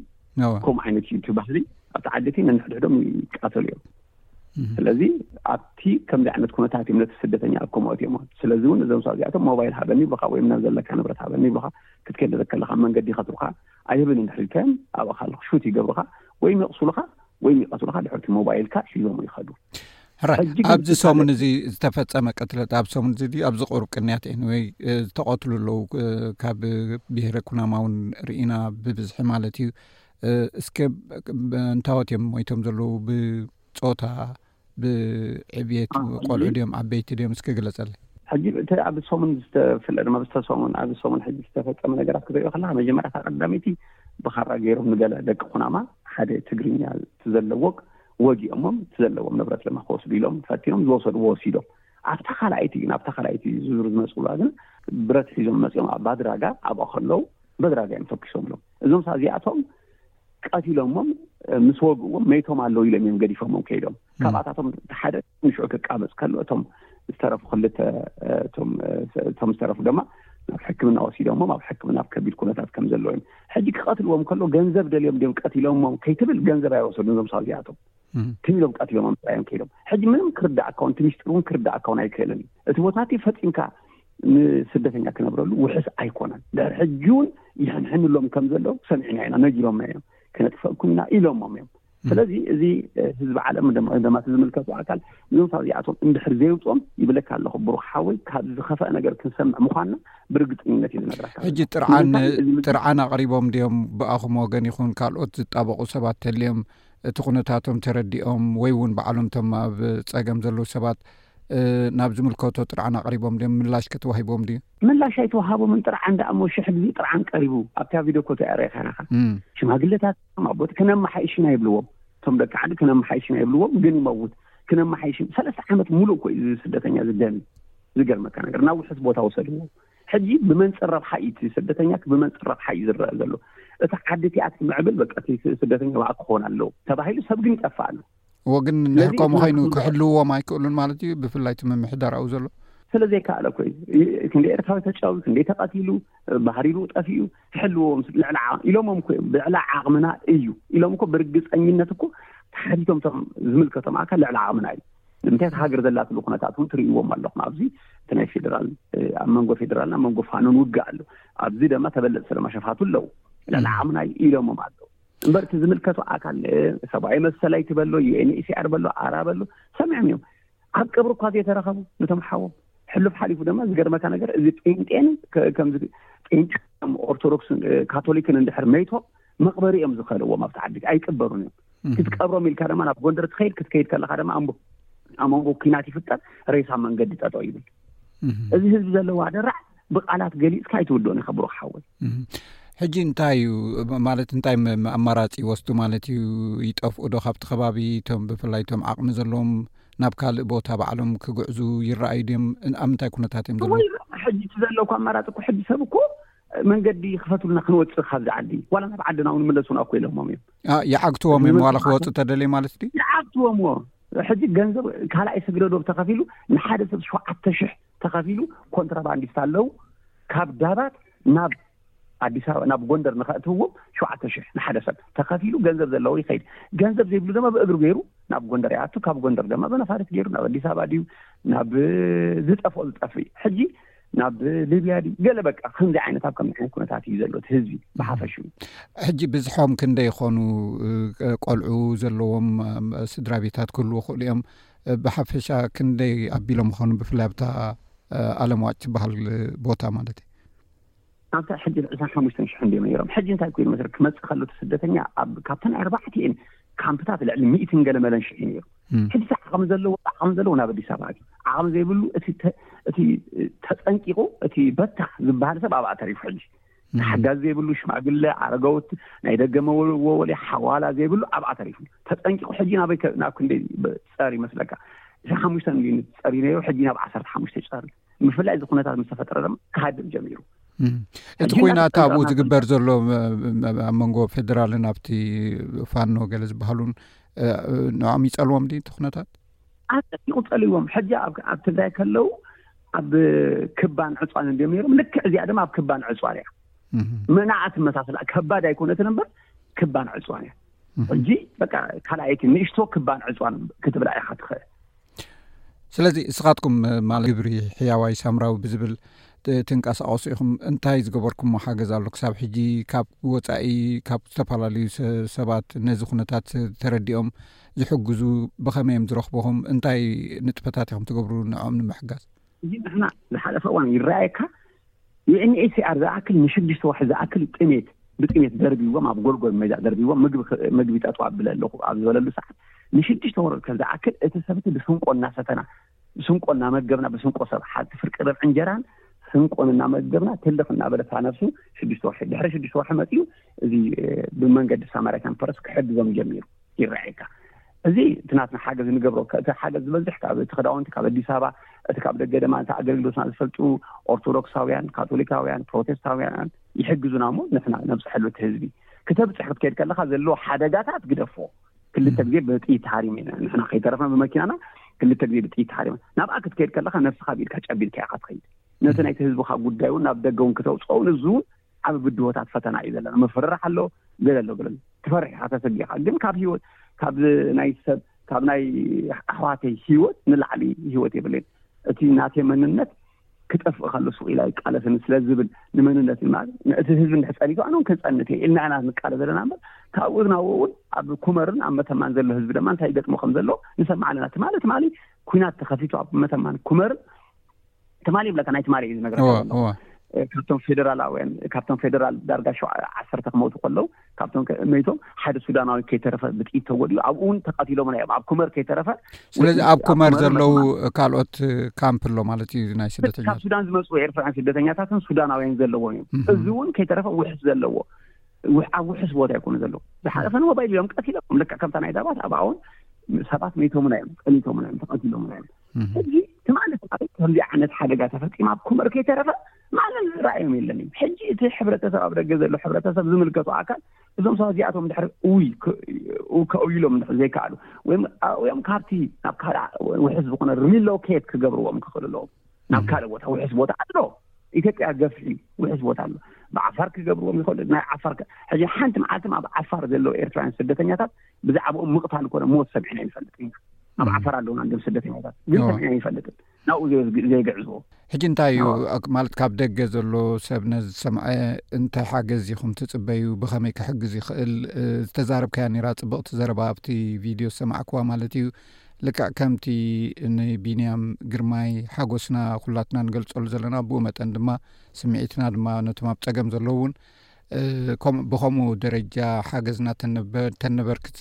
ከምኡ ዓይነት እዩ እቲ ባህሊ። ኣብቲ ዓዲ እቲ ነንሕድሕዶም ይቃተሉ እዮም። ስለዚ ኣብቲ ከምዚ ዓይነት ኩነታት እዮም ነቲ ስደተኛ ኣኮሞት እዮም። ስለዚ እውን እዞም ሰብ እዚኣቶም ሞባይል ሃበኒ ይብሉኻ ወይም ናብ ዘለካ ንብረት ሃበኒ ይብሉኻ። ክትከይድ ከለኻ መንገዲ ይኸትሩኻ። ኣይህብን እንድሕር ኢልካዮም ኣብኡ ካለኹ ሹት ይገብሩኻ ወይም የቕሱሉኻ ወይም ይቐትሉኻ። ድሕርቲ ሞባይልካ ሒዞም ይኸዱ። ሕራይ፣ ኣብዚ ሰሙን እዚ ዝተፈጸመ ቅትለት ኣብ ሰሙን እዚ ድዩ ኣብዚ ቁሩብ ቅንያት ኤንወይ ዝተቐትሉ ኣለዉ? ካብ ብሄረ ኩናማ እውን ርኢና ብብዝሒ ማለት እዩ። እስከ እንታወት እዮም ሞይቶም ዘለዉ? ብጾታ ብዕብየት ቆልዑ ድዮም ዓበይቲ ድዮም እስከ ግለጸለይ። ሕጂ እቲ ኣብ ሰሙን ዝተፍለ ድማ ብዝተሰሙን ኣብ ሰሙን ሕጂ ዝተፈጸመ ነገራት ክትሪኦ ከለካ መጀመርያ እታ ቀዳመይቲ ብኻራ ገይሮም ንገለ ደቂ ኩናማ ሓደ ትግርኛ እቲ ዘለዎ ወጊኦሞም እቲ ዘለዎም ንብረት ድማ ክወስዱ ኢሎም ፈቲኖም ዝወሰድዎ ወሲዶም ኣብታ ካልኣይቲ ግን ኣብታ ካልኣይቲ ዙር ዝመፅኡላ ግን ብረት ሒዞም መፅኦም ኣብ ባድራጋ ኣብኣ ከለዉ በድራጋ እዮም ተኩሶምሎም። እዞም ሳዚኣቶም ቀቲሎሞም ምስ ወግእዎም መይቶም ኣለዉ ኢሎም እዮም ገዲፎሞም ከይዶም። ካብኣታቶም ሓደ ንሽዑ ክቃበፅ ከሎ እቶም ዝተረፉ ክልተ እቶም ዝተረፉ ድማ ናብ ሕክምና ወሲዶሞም ኣብ ሕክምና ኣብ ከቢድ ኩነታት ከም ዘለዉ እዮም። ሕጂ ክቐትልዎም ከሎ ገንዘብ ደልዮም ድዮም ቀቲሎሞም ከይትብል ገንዘብ ኣይወሰዱን እዞም ሳዚኣቶም። ትም ኢሎም ቀቲሎሞም ጥራዮም ከይዶም። ሕጂ ምንም ክርዳእካ እውን እቲ ሚስጥር እውን ክርዳእካ እውን ኣይክእልን እዩ። እቲ ቦታ እቲ ፈፂምካ ንስደተኛ ክነብረሉ ውሕስ ኣይኮነን። ድሕሪ ሕጂ እውን ይሕንሕንሎም ከም ዘለዉ ሰሚዕና ኢና፣ ነጊሮምና እዮም። ክነጥፈእኩም ኢና ኢሎሞም እዮም። ስለዚ እዚ ህዝቢ ዓለም ድማ እቲ ዝምልከቱ ኣካል እዞም ሳዚኣቶም እንድሕር ዘይውፅኦም ይብለካ ኣለኹ ብሩክ ሓወይ፣ ካብ ዝኸፈአ ነገር ክንሰምዕ ምኳንና ብርግፀኝነት እዩ ዝነግረካ። ሕጂ ጥርዓን ጥርዓን ኣቕሪቦም ድዮም ብኣኹም ወገን ይኹን ካልኦት ዝጣበቑ ሰባት ተልዮም እቲ ኩነታቶም ተረዲኦም ወይ እውን ባዕሎም ቶም ኣብ ፀገም ዘለዉ ሰባት ናብ ዝምልከቶ ጥርዓን ኣቕሪቦም ድዮም? ምላሽ ከተዋሂቦም ድዩ? ምላሽ ኣይተዋሃቦምን። ጥርዓን ደኣ እሞ ሽሕ ግዜ ጥርዓን ቀሪቡ ኣብታ ቪድዮ ኮ ተያረኻናኻ ሽማግለታት ኣቦት ክነመሓይሽና ይብልዎም። እቶም ደቂ ዓዲ ክነመሓይሽና ይብልዎም ግን ይመውት። ክነመሓይሽ ሰለስተ ዓመት ሙሉእ እኮ እዩ ስደተኛ ዝደሚ። ዝገርመካ ነገር ናብ ውሕስ ቦታ ወሰድዎ። ሕጂ ብመንፅር ረብሓ እዩ እቲ ስደተኛ ብመንፅር ረብሓ እዩ ዝረአ ዘሎ። እቲ ዓዲ እቲኣ ትምዕብል በቃ እቲ ስደተኛ ባዕ ክኾን ኣለዎ ተባሂሉ ሰብ ግን ይጠፋ ኣሎ። እዎ ግን እንድሕር ከምኡ ኮይኑ ክሕልውዎም ኣይክእሉን ማለት እዩ። ብፍላይ እቲ ምምሕዳር ኣብኡ ዘሎ ስለ ዘይከኣለ እኮ እዩ። ክንደ ኤርትራዊ ተጫዊ ክንደ ተቐቲሉ ባህሪሩ ጠፊኡ ክሕልዎም ልዕሊ ዓቕሚ ኢሎሞም እኮ እዮም። ልዕሊ ዓቕምና እዩ ኢሎም እኮ ብርግፀኝነት እኮ ተሓቲቶም እቶም ዝምልከቶም ኣካል ልዕሊ ዓቕምና እዩ። ንምንታይ እቲ ሃገር ዘላትሉ ኩነታት እውን ትርእይዎም ኣለኹም። ኣብዚ እቲ ናይ ፌደራል ኣብ መንጎ ፌደራልና መንጎ ፋኖን ውግእ ኣሎ። ኣብዚ ደማ ተበለፅቲ ደማ ሸፋቱ ኣለዉ። ልዕሊ ዓቕምና እዩ ኢሎሞም ኣለዉ። እምበር እቲ ዝምልከቱ ኣካል ሰብኣዊ መሰል ኣይትበሎ፣ ዩኤንኤችሲኣር በሎ፣ ኣራ በሎ ሰሚዖም እዮም። ኣብ ቀብሪ እኳ ዘይተረኸቡ ነቶም ሓዎም ሕሉፍ ሓሊፉ ድማ ዝገርመካ ነገር እዚ ጴንጤን ከምዚ ጴንጤ ኦርቶዶክስን ካቶሊክን እንድሕር መይቶም መቕበሪ እዮም ዝኸልዎም ኣብቲ ዓዲ ኣይቅበሩን እዮም። ክትቀብሮም ኢልካ ድማ ናብ ጎንደር ትኸይድ ክትከይድ ከለካ ድማ ኣምቦ ኣብ መንጎ ኩናት ይፍጠር ሬሳ መንገዲ ጠጠው ይብል። እዚ ህዝቢ ዘለዎ ኣደራዕ ብቃላት ገሊፅካ ኣይትውድኦን ኢካ ብሩክ ሓወይ። ሕጂ እንታይ እዩ ማለት እንታይ ኣማራፂ ይወስዱ ማለት እዩ? ይጠፍኡ ዶ ካብቲ ከባቢ እቶም ብፍላይ እቶም ዓቕሚ ዘለዎም ናብ ካልእ ቦታ ባዕሎም ክግዕዙ ይረኣዩ ድዮም? ኣብ ምንታይ ኩነታት እዮም ዘለዉ? ሕጂ እቲ ዘለኩ ኣማራፂ እኮ ሕጂ ሰብ እኮ መንገዲ ክፈትሉና ክንወፅእ ካብዚ ዓዲ ዋላ ናብ ዓድና እውን ምለሱና እኮ ኢሎሞም እዮም። ይዓግትዎም እዮም ዋላ ክወፁ ተደልየ ማለት ድዩ? ይዓግትዎም እዎ። ሕጂ ገንዘብ ካልኣይ ስግደዶብ ተኸፊሉ ንሓደ ሰብ ሸውዓተ ሽሕ ተኸፊሉ ኮንትራባንዲስት ኣለዉ ካብ ዳባት ናብ ኣዲስ ኣበባ ናብ ጎንደር ንኸእትውዎም ሸውዓተ ሽሕ ንሓደ ሰብ ተኸፊሉ ገንዘብ ዘለዎ ይኸይድ። ገንዘብ ዘይብሉ ድማ ብእግሪ ገይሩ ናብ ጎንደር ይኣቱ። ካብ ጎንደር ድማ ብነፋሪት ገይሩ ናብ ኣዲስ ኣበባ ድዩ ናብ ዝጠፍኦ ዝጠፍእ ሕጂ ናብ ሊብያ ድዩ ገለ በቃ ከምዚ ዓይነት ኣብ ከምዚ ዓይነት ኩነታት እዩ ዘሎ እቲ ህዝቢ ብሓፈሽኡ። ሕጂ ብዝሖም ክንደይ ይኾኑ? ቆልዑ ዘለዎም ስድራ ቤታት ክህልዉ ይኽእሉ እዮም። ብሓፈሻ ክንደይ ኣቢሎም ይኾኑ ብፍላይ ኣብታ ኣለምዋጭ ትበሃል ቦታ ማለት እዩ? ኣብታ ሕጂ ዕስራን ሓሙሽተን ሽሕን ድዮም ነይሮም። ሕጂ እንታይ ኮይኑ መሰለክ ክመፅእ ከሎ እቲ ስደተኛ ኣብ ካብተን ኣርባዕቲኤን ካምፕታት ልዕሊ ሚእትን ገለ መለን ሽሕ እዩ ነይሩ። ሕጂ ዓቕሚ ዘለዎ ዓቕሚ ዘለዎ ናብ ኣዲስ ኣበባ እዩ። ዓቕሚ ዘይብሉ እቲ ተ- እቲ ተፀንቂቑ እቲ በታ ዝበሃል ሰብ ኣብኣ ተሪፉ ሕጂ ሓጋዚ ዘይብሉ ሽማግለ ኣረጋውት ናይ ደገ መወልወሊ ሓዋላ ዘይብሉ ኣብኣ ተሪፉ ተፀንቂቑ ሕጂ ናበይ ከ- ናብ ክንደይ ጸር ይመስለካ? ዕስራን ሓሙሽተን ሚሊዮን ጸር ነይሩ ሕጂ ናብ ዓሰርተ ሓሙሽተ ጸር። ብፍላይ እዚ ኩነታት ምስ ተፈጠረ ድማ ክሃድም ጀሚሩ። እቲ ኩናት ኣብኡ ዝግበር ዘሎ ኣብ መንጎ ፌደራልን ኣብቲ ፋኖ ገለ ዝበሃሉን ንዖም ይጸልዎም ድ እቲ ኩነታት? ኣጠቂቑ ጸልዎም። ሕጂ ኣብ ትግራይ ከለዉ ኣብ ክባን ዕፅዋን እንዲም ነይሮም። ልክዕ እዚኣ ድማ ኣብ ክባን ዕፅዋን እያ። መናኣ ትመሳሰላ ከባድ ኣይኮነትን እምበር ክባን ዕፅዋን እያ። ሕጂ በቃ ካልኣይቲ ንእሽቶ ክባን ዕፅዋን ክትብላ ኢኻ ትኽእል። ስለዚ እስኻትኩም ማለት ግብሪ ሕያዋይ ሳምራዊ ብዝብል ትንቀሳቐሱ ኢኹም። እንታይ ዝገበርኩሞ ሓገዝ ኣሎ ክሳብ ሕጂ? ካብ ወፃኢ ካብ ዝተፈላለዩ ሰባት ነዚ ኩነታት ተረዲኦም ዝሕግዙ ብኸመይ እዮም ዝረኽብኹም? እንታይ ንጥፈታት ኢኹም ትገብሩ ንዕኦም ንምሕጋዝ? እዚ ንሕና ዝሓለፈ እዋን ይረኣየካ ዩኤንኤችሲኣር ዝኣክል ንሽዱሽተ ወርሒ ዝኣክል ጥሜት ብጥሜት ደርቢዎም ኣብ ጎልጎል ሜዳ ደርቢዎም ምግቢ ጠጥዋ ብለ ኣለኹ ኣብ ዝበለሉ ሰዓት ንሽዱሽተ ወርሒ ከም ዝኣክል እቲ ሰብቲ ብስንቆ እናሰተና ብስንቆ እናመገብና ብስንቆ ሰብ ሓቲ ፍርቂ ርብ እንጀራን ስንቆን እናመገብና ትልኽ እናበለታ ነብሱ ሽዱሽተ ወርሒ ድሕሪ ሽዱሽተ ወርሒ መፅኡ እዚ ብመንገዲ ሳማሪታን ፐረስ ክሕግዞም ጀሚሩ ይረኣየካ። እዚ እቲ ናትና ሓገዝ ንገብሮ። እቲ ሓገዝ ዝበዝሕ ካብ እቲ ክዳውንቲ ካብ ኣዲስ ኣበባ፣ እቲ ካብ ደገ ድማ እቲ ኣገልግሎትና ዝፈልጡ ኦርቶዶክሳውያን፣ ካቶሊካውያን፣ ፕሮቴስታውያን ይሕግዙና እሞ ንሕና ነብፅሐሉ። እቲ ህዝቢ ክተብፅሕ ክትከይድ ከለካ ዘለዎ ሓደጋታት ግደፎ። ክልተ ግዜ ብጥይት ተሃሪሙ ኢና ንሕና ከይተረፍና ብመኪናና ክልተ ግዜ ብጥይት ተሃሪሙ። ናብኣ ክትከይድ ከለካ ነብስካ ብኢድካ ጨቢድካ ኢካ ትኸይድ። ነቲ ናይቲ ህዝብካ ጉዳይ እውን ናብ ደገ እውን ክተውፅኦ እውን እዚ እውን ዓብ ብድሆታት ፈተና እዩ ዘለና። ምፍርራሕ ኣሎ፣ ገለ ኣሎ፣ ገለ ኣሎ። ትፈርሕ ኢኻ፣ ተሰጊኻ። ግን ካብ ህይወት፣ ካብ ናይ ሰብ፣ ካብ ናይ ኣሕዋተይ ህይወት ንላዕሊ ህይወት የብለይን። እቲ ናተይ መንነት ክጠፍእ ከሎ ሱቕ ኢላ ይቃለሰኒ ስለ ዝብል ንመንነት ማለት ነቲ ህዝቢ እንድሕር ጸኒቱ ኣነ እውን ክጸንት እየ ኢልና ኢና ንቃለስ ዘለና እምበር ካብኡ ናብኡ እውን ኣብ ኩመርን ኣብ መተማን ዘሎ ህዝቢ ድማ እንታይ ይገጥሞ ከም ዘሎ ንሰምዕ ኣለና። ትማሊ ትማሊ ኩናት ተኸፊቱ ኣብ መተማን ኩመርን ትማሊ ይብለካ፣ ናይ ትማሊ እዩ ዝነግረካ ዘሎ። ካብቶም ፌደራላውያን፣ ካብቶም ፌደራል ዳርጋ ሸው ዓሰርተ ክመውቱ ከለዉ ካብቶም መይቶም ሓደ ሱዳናዊ ከይተረፈ ብጥይት ተጎዲኡ ኣብኡ እውን ተቐቲሎም እዮም። ኣብ ኩመር ከይተረፈ ስለዚ ኣብ ኩመር ዘለዉ ካልኦት ካምፕ ኣሎ ማለት እዩ ናይ ስደተኛ ካብ ሱዳን ዝመፁ ኤርትራውያን ስደተኛታትን ሱዳናውያን ዘለዎ እዮም። እዚ እውን ከይተረፈ ውሕስ ዘለዎ ኣብ ውሕስ ቦታ ይኮኑ ዘለዉ። ዝሓለፈ ሞባይል እዮም ቀቲሎም ልክዕ ከምታ ናይ ዳባት ኣብኣ እውን ሰባት መይቶምና እዮም፣ ቀኒቶምና እዮም፣ ተቐቲሎምና እዮም። እዚ ትማሊ ትማሊ ከምዚ ዓይነት ሓደጋ ተፈፂማ ኣብ ኩመር ከይተረፈ ማንም ዝረኣዮም የለን እዩ። ሕጂ እቲ ሕብረተሰብ ኣብ ደገ ዘሎ ሕብረተሰብ ዝምልከቱ ኣካል እዞም ሰባት እዚኣቶም ድሕሪ እውይ ከእውይሎም ድሕሪ ዘይከኣሉ ወይም ካብቲ ናብ ካልእ ውሕስ ዝኾነ ሪሎኬት ክገብርዎም ክኽእሉ ኣለዎም። ናብ ካልእ ቦታ ውሕስ ቦታ ኣሎ። ኢትዮጵያ ገፍሒ ውሕስ ቦታ ኣሎ። ብዓፋር ክገብርዎም ይኽእሉ። ናይ ዓፋር ሕጂ ሓንቲ መዓልቲ ኣብ ዓፋር ዘለዉ ኤርትራውያን ስደተኛታት ብዛዕባኦም ምቕታል ኮነ ሞት ሰሚዕና ይንፈልጥ ኢና። ኣብ ዓፋር ኣለውና እንድም ስደተኛታት ግን ሰሚዕና ይንፈልጥን ናብኡ ዘይግዕዝዎ። ሕጂ እንታይ እዩ ማለት ካብ ደገ ዘሎ ሰብ ነዚ ዝሰምዐ እንታይ ሓገዝ ኢኹም ትጽበዩ? ብኸመይ ክሕግዝ ይኽእል? ዝተዛረብካያ ነይራ ጽብቕቲ ዘረባ ኣብቲ ቪድዮ ዝሰማዕክዋ ማለት እዩ። ልክዕ ከምቲ ንቢንያም ግርማይ ሓጎስና ኩላትና ንገልጸሉ ዘለና ብኡ መጠን ድማ ስምዒትና ድማ ነቶም ኣብ ጸገም ዘለዉ እውን ከምኡ ብኸምኡ ደረጃ ሓገዝና ተነበርክቲ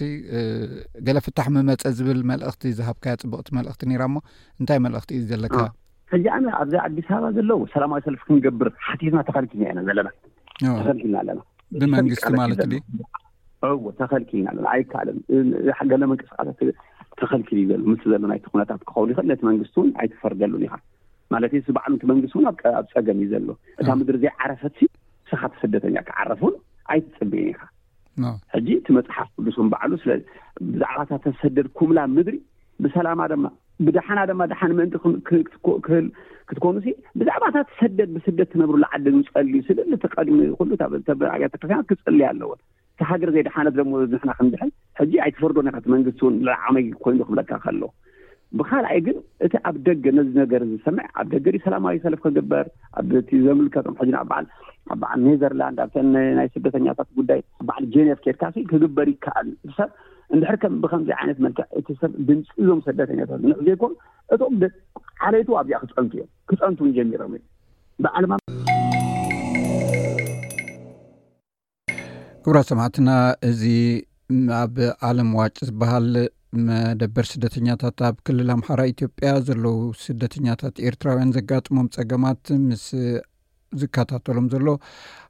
ገለ ፍታሕ ምመፀ ዝብል መልእኽቲ ዝሃብካያ ፅብቕቲ መልእኽቲ ነይራ እሞ እንታይ መልእኽቲ እዩ ዘለካ? ሕጂ ኣነ ኣብዚ ኣዲስ ኣበባ ዘለዉ ሰላማዊ ሰልፊ ክንገብር ሓቲትና ተኸልኪልና ኢና ዘለና። ተኸልኪልና ኣለና። ብመንግስቲ ማለት ድዩ? እዎ ተኸልኪልና ኣለና። ኣይከኣልን። ገለ ምንቅስቃሳት ተኸልኪሉ እዩ ዘሎ። ምስ ዘሎ ናይቲ ኩነታት ክኸውን ይኽእል። ነቲ መንግስቲ እውን ኣይትፈርደሉን ኢኻ ማለት እዩ። ባዕሉ እቲ መንግስቲ እውን ኣብ ፀገም እዩ ዘሎ። እታ ምድሪ ዘይዓረፈት ንስኻ እቲ ስደተኛ ክዓረፍ እውን ኣይትፅበይን ኢኻ። ሕጂ እቲ መፅሓፍ ቅዱስ እውን ባዕሉ ስለ ብዛዕባ እታ ተሰደድኩምላ ምድሪ ብሰላማ ድማ ብደሓና ድማ ደሓን ምእንቲ ክትኮኑ ሲ ብዛዕባ እታ ትሰደድ ብስደት ትነብሩላ ዓዲ ንፀሊ ስለ ተቀድሚ ኩሉ ኣብያተ ክርስቲያናት ክፅሊ ኣለዎን። እታ ሃገር ዘይደሓነት ደሞ ንሕና ክንድሕን ሕጂ ኣይትፈርዶን ኢኻ። እቲ መንግስቲ እውን ልዓመይ ኮይኑ ክብለካ ከሎ ብካልኣይ ግን እቲ ኣብ ደገ ነዚ ነገር ዝሰምዕ ኣብ ደገ ድዩ ሰላማዊ ሰልፍ ክግበር ኣብቲ ዘምልከቶም ሕጂ ኣብ በዓል ኣብ በዓል ኔዘርላንድ ኣብተን ናይ ስደተኛታት ጉዳይ በዓል ጄኔቭ ኬድካ ሲ ክግበር ይከኣል። ሰብ እንድሕር ከም ብከምዚ ዓይነት መልክዕ እቲ ሰብ ድምፂ እዞም ስደተኛታት ንዕ ዘይኮኑ እቶም ዓለይቱ ኣብዚኣ ክፀንቱ እዮም ክፀንቱ ጀሚሮም እዮም። ብዓለማ ክቡራት ሰማዕትና እዚ ኣብ ዓለም ዋጭ ዝበሃል መደበር ስደተኛታት ኣብ ክልል ኣምሓራ ኢትዮጵያ ዘለዉ ስደተኛታት ኤርትራውያን ዘጋጥሞም ጸገማት ምስ ዝከታተሎም ዘሎ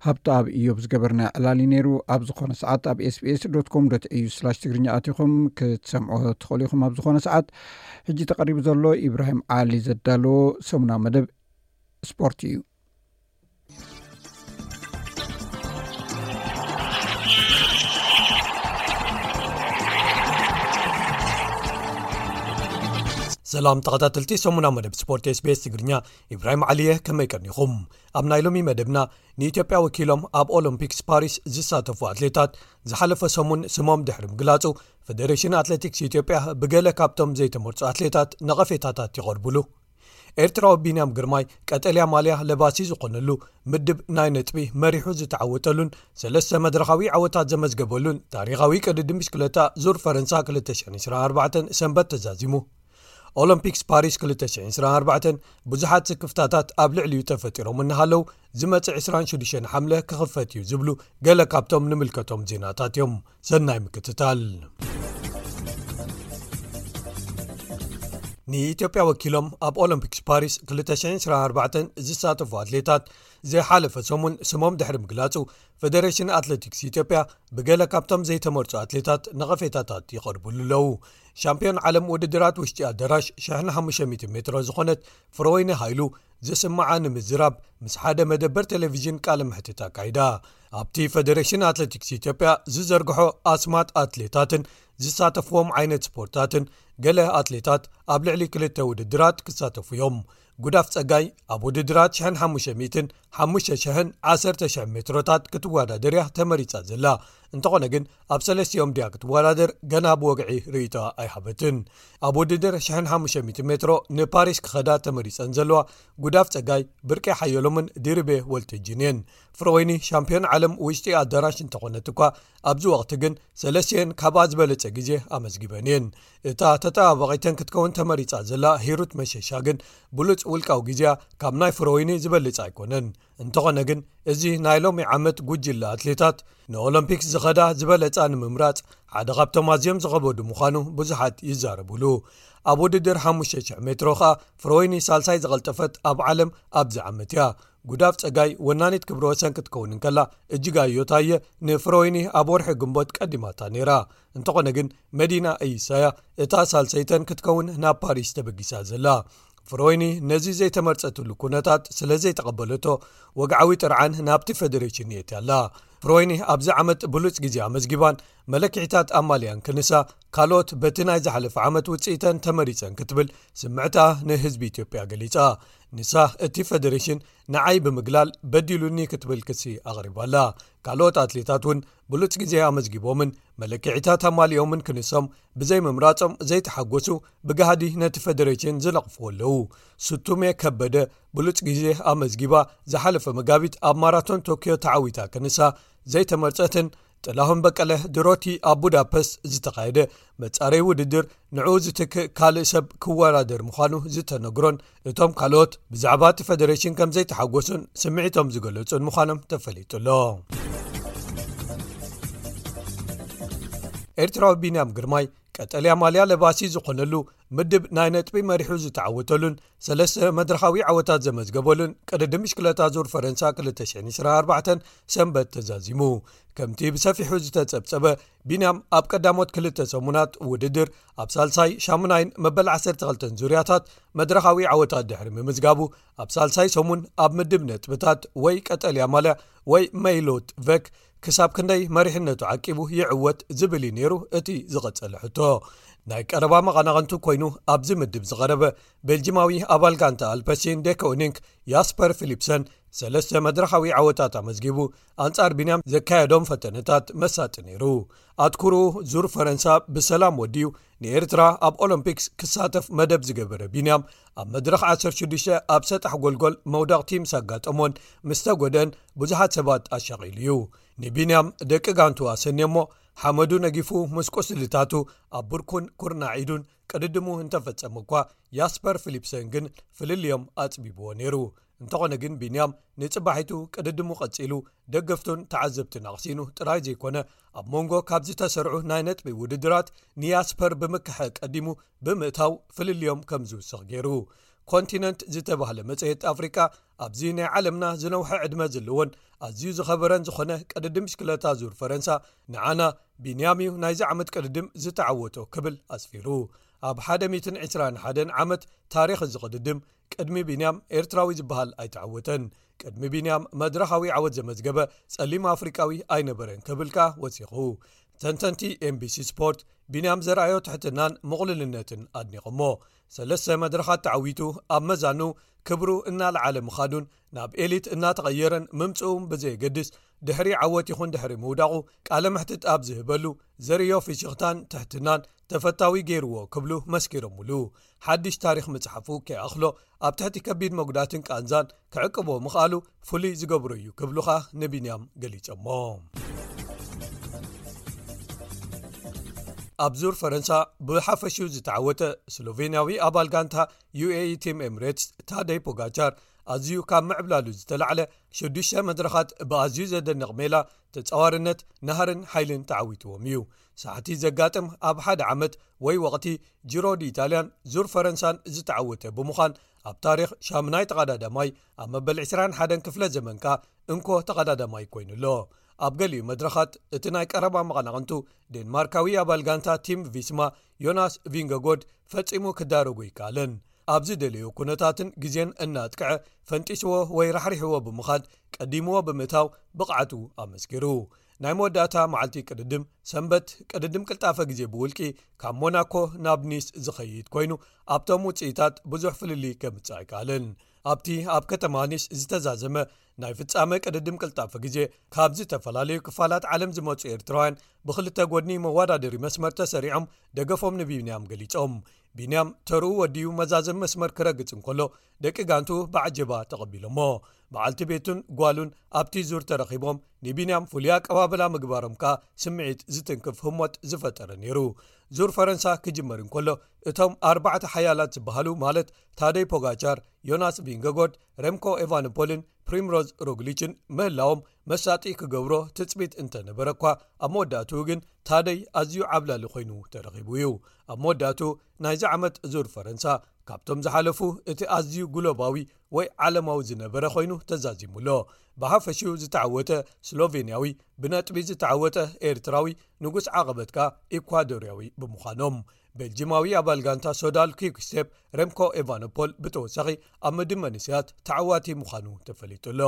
ሃብተኣብ እዮብ ዝገበርናዮ ዕላል እዩ ነይሩ። ኣብ ዝኾነ ሰዓት ኣብ ኤስቢኤስ ዶት ኮም ዶት ኤዩ ስላሽ ትግርኛ ኣቲኹም ክትሰምዑ ትኽእሉ ኢኹም። ኣብ ዝኾነ ሰዓት ሕጂ ተቐሪቡ ዘሎ ኢብራሂም ዓሊ ዘዳለዎ ሰሙናዊ መደብ ስፖርት እዩ። ሰላም ተኸታተልቲ ሰሙና መደብ ስፖርት ኤስቢኤስ ትግርኛ፣ ኢብራሂም ዓሊ እየ። ከመይ ቀኒኹም? ኣብ ናይ ሎሚ መደብና ንኢትዮጵያ ወኪሎም ኣብ ኦሎምፒክስ ፓሪስ ዝሳተፉ ኣትሌታት ዝሓለፈ ሰሙን ስሞም ድሕሪ ምግላጹ፣ ፌደሬሽን ኣትሌቲክስ ኢትዮጵያ ብገለ ካብቶም ዘይተመርጹ ኣትሌታት ነቐፌታታት ይቐርብሉ። ኤርትራዊ ቢንያም ግርማይ ቀጠልያ ማልያ ለባሲ ዝኾነሉ ምድብ ናይ ነጥቢ መሪሑ ዝተዓወተሉን ሰለስተ መድረኻዊ ዓወታት ዘመዝገበሉን ታሪኻዊ ቅድድም ብሽክለታ ዙር ፈረንሳ ክልተ ሽሕን ዕስራን ኣርባዕተን ሰንበት ተዛዚሙ። ኦሎምፒክስ ፓሪስ ክልተ ሽሕን ዕስራን ኣርባዕተን ብዙሓት ስክፍታታት ኣብ ልዕሊኡ ተፈጢሮም እናሃለዉ ዝመጽእ ዕስራን ሽዱሽተን ሓምለ ክኽፈት እዩ ዝብሉ ገለ ካብቶም ንምልከቶም ዜናታት እዮም። ሰናይ ምክትታል። ንኢትዮጵያ ወኪሎም ኣብ ኦሎምፒክስ ፓሪስ ክልተ ሽሕን ዕስራን ኣርባዕተን ዝሳተፉ ኣትሌታት ዝሓለፈ ሰሙን ስሞም ድሕሪ ምግላጹ፣ ፌደሬሽን ኣትሌቲክስ ኢትዮጵያ ብገለ ካብቶም ዘይተመርጹ ኣትሌታት ነቐፌታታት ይቐርብሉ ኣለዉ። ሻምፒዮን ዓለም ውድድራት ውሽጢ ኣዳራሽ ሽሕን ሓሙሽተ ሚእቲ ሜትሮ ዝኾነት ፍረወይኒ ሃይሉ ዝስምዓ ንምዝራብ ምስ ሓደ መደበር ቴሌቪዥን ቃለ መሕትት ኣካይዳ። ኣብቲ ፌደሬሽን ኣትሌቲክስ ኢትዮጵያ ዝዘርግሖ ኣስማት ኣትሌታትን ዝሳተፍዎም ዓይነት ስፖርታትን፣ ገለ ኣትሌታት ኣብ ልዕሊ ክልተ ውድድራት ክሳተፉ እዮም። ጉዳፍ ጸጋይ ኣብ ውድድራት ሽሕን ሓሙሽተ ሚእትን ሓሙሽተ ሽሕን ዓሰርተ ሽሕ ሜትሮታት ክትወዳደር እያ ተመሪጻ ዘላ። እንተኾነ ግን ኣብ ሰለስቲኦም ድያ ክትወዳደር ገና ብወግዒ ርእይቶ ኣይሃበትን። ኣብ ውድድር ሽሕን ሓሙሽተ ሚእቲ ሜትሮ ንፓሪስ ክኸዳ ተመሪጸን ዘለዋ ጉዳፍ ጸጋይ፣ ብርቄ ሓየሎምን ድርቤ ወልተጅን እየን። ፍረወይኒ ሻምፒዮን ዓለም ውሽጢ ኣዳራሽ እንተኾነት እኳ፣ ኣብዚ ወቕቲ ግን ሰለስቲኤን ካብኣ ዝበለጸ ግዜ ኣመዝጊበን እየን። እታ ተጠባባቒተን ክትከውን ተመሪጻ ዘላ ሂሩት መሸሻ ግን ብሉጽ ውልቃዊ ግዜያ ካብ ናይ ፍረወይኒ ዝበልጽ ኣይኮነን። እንተኾነ ግን እዚ ናይ ሎሚ ዓመት ጉጅለ ኣትሌታት ንኦሎምፒክስ ዝኸዳ ዝበለጻ ንምምራጽ ሓደ ካብቶም ኣዝዮም ዝኸበዱ ምዃኑ ብዙሓት ይዛረቡሉ። ኣብ ውድድር ሓሙሽተ ሽሕ ሜትሮ ኸኣ ፍረወይኒ ሳልሳይ ዝቐልጠፈት ኣብ ዓለም ኣብዚ ዓመት እያ። ጉዳፍ ጸጋይ ወናኒት ክብረ ወሰን ክትከውን እንከላ፣ እጅጋዮ ታየ ንፍረወይኒ ኣብ ወርሒ ግንቦት ቀዲማታ ነይራ። እንተኾነ ግን መዲና እይሳያ እታ ሳልሰይተን ክትከውን ናብ ፓሪስ ተበጊሳ ዘላ። ፍረወይኒ ነዚ ዘይተመርጸትሉ ኩነታት ስለ ዘይተቐበለቶ፣ ወግዓዊ ጥርዓን ናብቲ ፌደሬሽን የእትያ ኣላ። ፍረወይኒ ኣብዚ ዓመት ብሉጽ ግዜ ኣመዝጊባን መለክዒታት ኣማልያን ክንሳ፣ ካልኦት በቲ ናይ ዝሓለፈ ዓመት ውጽኢተን ተመሪጸን ክትብል ስምዕታ ንህዝቢ ኢትዮጵያ ገሊጻ። ንሳ እቲ ፌደሬሽን ንዓይ ብምግላል በዲሉኒ ክትብል ክሲ ኣቕሪባላ። ካልኦት ኣትሌታት እውን ብሉጽ ግዜ ኣመዝጊቦምን መለክዒታት ኣማሊኦምን ክንሶም ብዘይምምራጾም ዘይተሓጎሱ፣ ብጋህዲ ነቲ ፌደሬሽን ዝነቕፍዎ ኣለዉ። ስቱሜ ከበደ ብሉጽ ግዜ ኣመዝጊባ፣ ዝሓለፈ መጋቢት ኣብ ማራቶን ቶክዮ ተዓዊታ ክንሳ ዘይተመርጸትን፣ ጥላሁን በቀለ ድሮቲ ኣብ ቡዳፐስት ዝተኻየደ መጻረይ ውድድር ንዕኡ ዝትክእ ካልእ ሰብ ክወዳደር ምዃኑ ዝተነግሮን፣ እቶም ካልኦት ብዛዕባ እቲ ፌደሬሽን ከም ዘይተሓጎሱን ስምዒቶም ዝገለጹን ምዃኖም ተፈሊጡ ኣሎ። ኤርትራዊ ቢንያም ግርማይ ቀጠልያ ማልያ ለባሲ ዝኾነሉ ምድብ ናይ ነጥቢ መሪሑ ዝተዓወተሉን ሰለስተ መድረኻዊ ዓወታት ዘመዝገበሉን ቅድድም ብሽክለታ ዙር ፈረንሳ ክልተ ሽሕን ዕስራን ኣርባዕተን ሰንበት ተዛዚሙ። ከምቲ ብሰፊሑ ዝተጸብጸበ፣ ቢንያም ኣብ ቀዳሞት ክልተ ሰሙናት ውድድር ኣብ ሳልሳይ፣ ሻሙናይን መበል ዓሰርተ ክልተን ዙርያታት መድረኻዊ ዓወታት ድሕሪ ምምዝጋቡ፣ ኣብ ሳልሳይ ሰሙን ኣብ ምድብ ነጥብታት ወይ ቀጠልያ ማልያ ወይ መይሎት ቨክ ክሳብ ክንደይ መሪሕነቱ ዓቂቡ ይዕወት ዝብል እዩ ነይሩ እቲ ዝቐጸለ ሕቶ። ናይ ቀረባ መቐናቕንቱ ኮይኑ ኣብዚ ምድብ ዝቐረበ ቤልጂማዊ ኣባል ጋንታ ኣልፐሲን ዴኮኒንክ ያስፐር ፊሊፕሰን ሰለስተ መድረኻዊ ዓወታት ኣመዝጊቡ፣ ኣንጻር ቢንያም ዘካየዶም ፈተነታት መሳጢ ነይሩ። ኣትኩሩ ዙር ፈረንሳ ብሰላም ወዲኡ ንኤርትራ ኣብ ኦሎምፒክስ ክሳተፍ መደብ ዝገበረ ቢንያም፣ ኣብ መድረኽ ዓሰርተ ሽዱሽተ ኣብ ሰጣሕ ጎልጎል መውደቕቲ ምስ ኣጋጠሞን ምስ ተጎድአን ብዙሓት ሰባት ኣሻቒሉ እዩ። ንቢንያም ደቂ ጋንቱ ኣሰንዮሞ፣ ሓመዱ ነጊፉ ምስ ቁስልታቱ ኣብ ብርኩን ኩርናዕ ኢዱን ቅድድሙ እንተፈጸመ እኳ፣ ያስፐር ፊሊፕሰን ግን ፍልልዮም ኣጽቢብዎ ነይሩ። እንተኾነ ግን ቢንያም ንጽባሒቱ ቅድድሙ ቀጺሉ፣ ደገፍቱን ተዓዘብትን ኣቕሲኑ ጥራይ ዘይኮነ፣ ኣብ መንጎ ካብ ዝተሰርዑ ናይ ነጥቢ ውድድራት ንያስፐር ብምክሐ ቀዲሙ ብምእታው ፍልልዮም ከም ዝውስኽ ገይሩ። ኮንቲነንት ዝተባህለ መጽሔት ኣፍሪቃ፣ ኣብዚ ናይ ዓለምና ዝነውሐ ዕድመ ዘለዎን ኣዝዩ ዝኸበረን ዝኾነ ቅድድም ብሽክለታ ዙር ፈረንሳ፣ ንዓና ቢንያም እዩ ናይዚ ዓመት ቅድድም ዝተዓወቶ ክብል ኣስፊሩ። ኣብ ሓደ ሚእትን ዕስራን ሓደን ዓመት ታሪኽ እዚ ቅድድም፣ ቅድሚ ቢንያም ኤርትራዊ ዝበሃል ኣይተዓወተን። ቅድሚ ቢንያም መድረኻዊ ዓወት ዘመዝገበ ጸሊም ኣፍሪቃዊ ኣይነበረን ክብል ከኣ ወሲኹ። ተንተንቲ ኤምቢሲ ስፖርት፣ ቢንያም ዘርኣዮ ትሕትናን ምቕሉልነትን ኣድኒቖሞ። ሰለስተ መድረኻት ተዓዊቱ፣ ኣብ መዛኑ ክብሩ እናለዓለ ምኻዱን ናብ ኤሊት እናተቐየረን ምምጽኡን ብዘየገድስ፣ ድሕሪ ዓወት ይኹን ድሕሪ ምውዳቑ ቃለ መሕትት ኣብ ዝህበሉ፣ ዘርእዮ ፍሽኽታን ትሕትናን ተፈታዊ ገይርዎ ክብሉ መስኪሮምሉ። ሓድሽ ታሪኽ ምጽሓፉ ከይኣኽሎ፣ ኣብ ትሕቲ ከቢድ መጉዳትን ቃንዛን ክዕቅቦ ምኽኣሉ ፍሉይ ዝገብሮ እዩ ክብሉ ኸኣ ንቢንያም ገሊጾሞ። ኣብ ዙር ፈረንሳ ብሓፈሽኡ ዝተዓወተ ስሎቬንያዊ ኣባል ጋንታ ዩኤኢ ቲም ኤምሬትስ ታደይ ፖጋቻር፣ ኣዝዩ ካብ ምዕብላሉ ዝተላዕለ ሽዱሽተ መድረኻት ብኣዝዩ ዘደንቕ ሜላ፣ ተጻዋርነት፣ ናህርን ሓይልን ተዓዊትዎም እዩ። ሳሕቲ ዘጋጥም ኣብ ሓደ ዓመት ወይ ወቕቲ ጂሮ ዲ ኢጣልያን ዙር ፈረንሳን ዝተዓወተ ብምዃን፣ ኣብ ታሪኽ ሻምናይ ተቐዳዳማይ፣ ኣብ መበል ዕስራን ሓደን ክፍለ ዘመንካ እንኮ ተቐዳዳማይ ኮይኑ ኣሎ። ኣብ ገሊኡ መድረኻት እቲ ናይ ቀረባ መቐናቕንቱ ዴንማርካዊ ኣባል ጋንታ ቲም ቪስማ ዮናስ ቪንገጎድ ፈጺሙ ክዳረጎ ይከኣልን። ኣብ ዝደለዮ ኩነታትን ግዜን እናጥቅዐ ፈንጢስዎ ወይ ራሕሪሕዎ ብምኻድ ቀዲምዎ ብምእታው ብቕዓቱ ኣመስኪሩ። ናይ መወዳእታ መዓልቲ ቅድድም ሰንበት ቅድድም ቅልጣፈ ግዜ ብውልቂ ካብ ሞናኮ ናብ ኒስ ዝኸይድ ኮይኑ ኣብቶም ውፅኢታት ብዙሕ ፍልልይ ከምፅእ ኣይከኣልን። ኣብቲ ኣብ ከተማ ኒስ ዝተዛዘመ ናይ ፍጻመ ቅድድም ቅልጣፈ ግዜ ካብ ዝተፈላለዩ ክፋላት ዓለም ዝመፁ ኤርትራውያን ብክልተ ጎድኒ መወዳደሪ መስመር ተሰሪዖም ደገፎም ንቢንያም ገሊጾም። ቢንያም ተርኡ ወዲኡ መዛዘም መስመር ክረግጽ እንከሎ ደቂ ጋንቱ ብዓጀባ ተቐቢሎሞ። በዓልቲ ቤቱን ጓሉን ኣብቲ ዙር ተረኺቦም ንቢንያም ፍሉይ ኣቀባበላ ምግባሮም ከኣ ስምዒት ዝትንክፍ ህሞት ዝፈጠረ ነይሩ። ዙር ፈረንሳ ክጅመር እንከሎ እቶም ኣርባዕተ ሓያላት ዝበሃሉ ማለት ታደይ ፖጋቻር፣ ዮናስ ቪንገጎድ፣ ሬምኮ ኤቫንፖልን ፕሪምሮዝ ሮግሊችን ምህላዎም መሳጢ ክገብሮ ትጽቢት እንተነበረ እኳ ኣብ መወዳእትኡ ግን ታደይ ኣዝዩ ዓብላሊ ኮይኑ ተረኺቡ እዩ። ኣብ መወዳእትኡ ናይዚ ዓመት ዙር ፈረንሳ ካብቶም ዝሓለፉ እቲ ኣዝዩ ግሎባዊ ወይ ዓለማዊ ዝነበረ ኮይኑ ተዛዚሙ ኣሎ። ብሓፈሽኡ ዝተዓወተ ስሎቬንያዊ ብነጥቢ ዝተዓወተ ኤርትራዊ ንጉስ ዓቐበት ከኣ ኢኳዶርያዊ ብምዃኖም፣ ቤልጂማዊ ኣባል ጋንታ ሶዳል ኪክስቴፕ ረምኮ ኤቫኖፖል ብተወሳኺ ኣብ ምድብ መንእሰያት ተዓዋቲ ምዃኑ ተፈሊጡ ኣሎ።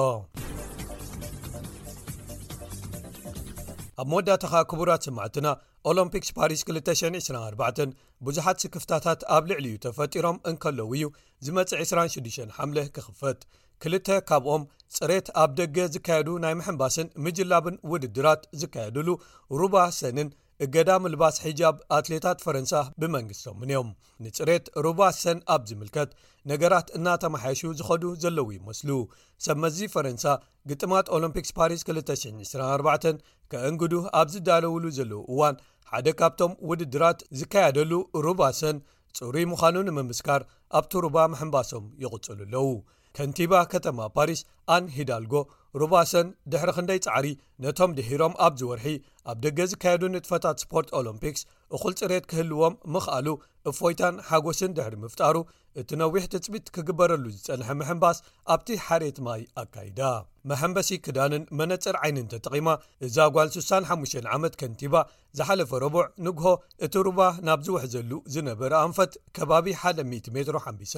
ኣብ መወዳእታ ከኣ ክቡራት ሰማዕትና፣ ኦሎምፒክስ ፓሪስ ክልተ ሽሕን ዕስራን ኣርባዕተን ብዙሓት ስክፍታታት ኣብ ልዕሊኡ ተፈጢሮም እንከለዉ እዩ ዝመጽእ ዕስራን ሽዱሽተን ሓምለ ክኽፈት። ክልተ ካብኦም ጽሬት ኣብ ደገ ዝካየዱ ናይ ምሕንባስን ምጅላብን ውድድራት ዝካየድሉ ሩባ ሰንን እገዳ ምልባስ ሒጃብ ኣትሌታት ፈረንሳ ብመንግስቶምን እዮም። ንጽሬት ሩባ ሰን ኣብ ዝምልከት ነገራት እናተመሓየሹ ዝኸዱ ዘለዉ ይመስሉ። ሰብ መዚ ፈረንሳ ግጥማት ኦሎምፒክስ ፓሪስ ክልተ ሽሕን ዕስራን ኣርባዕተን ከእንግዱ ኣብ ዝዳለውሉ ዘለዉ እዋን ሓደ ካብቶም ውድድራት ዝካየደሉ ሩባ ሰን ጽሩይ ምዃኑ ንምምስካር ኣብቲ ሩባ ምሕንባሶም ይቕጽሉ ኣለዉ። ከንቲባ ከተማ ፓሪስ ኣን ሂዳልጎ ሩባ ሰን ድሕሪ ክንደይ ጻዕሪ ነቶም ድሒሮም ኣብዚ ወርሒ ኣብ ደገ ዝካየዱ ንጥፈታት ስፖርት ኦሎምፒክስ እኹል ጽሬት ክህልዎም ምኽኣሉ እፎይታን ሓጎስን ድሕሪ ምፍጣሩ እቲ ነዊሕ ትጽቢት ክግበረሉ ዝጸንሐ ምሕንባስ ኣብቲ ሓሬት ማይ ኣካይዳ። መሐንበሲ ክዳንን መነጽር ዓይንን ተጠቒማ እዛ ጓል ስሳን ሓሙሽተን ዓመት ከንቲባ ዝሓለፈ ረቡዕ ንግሆ እቲ ሩባ ናብ ዝውሕዘሉ ዝነበረ ኣንፈት ከባቢ ሓደ ሚእቲ ሜትሮ ሓንቢሳ።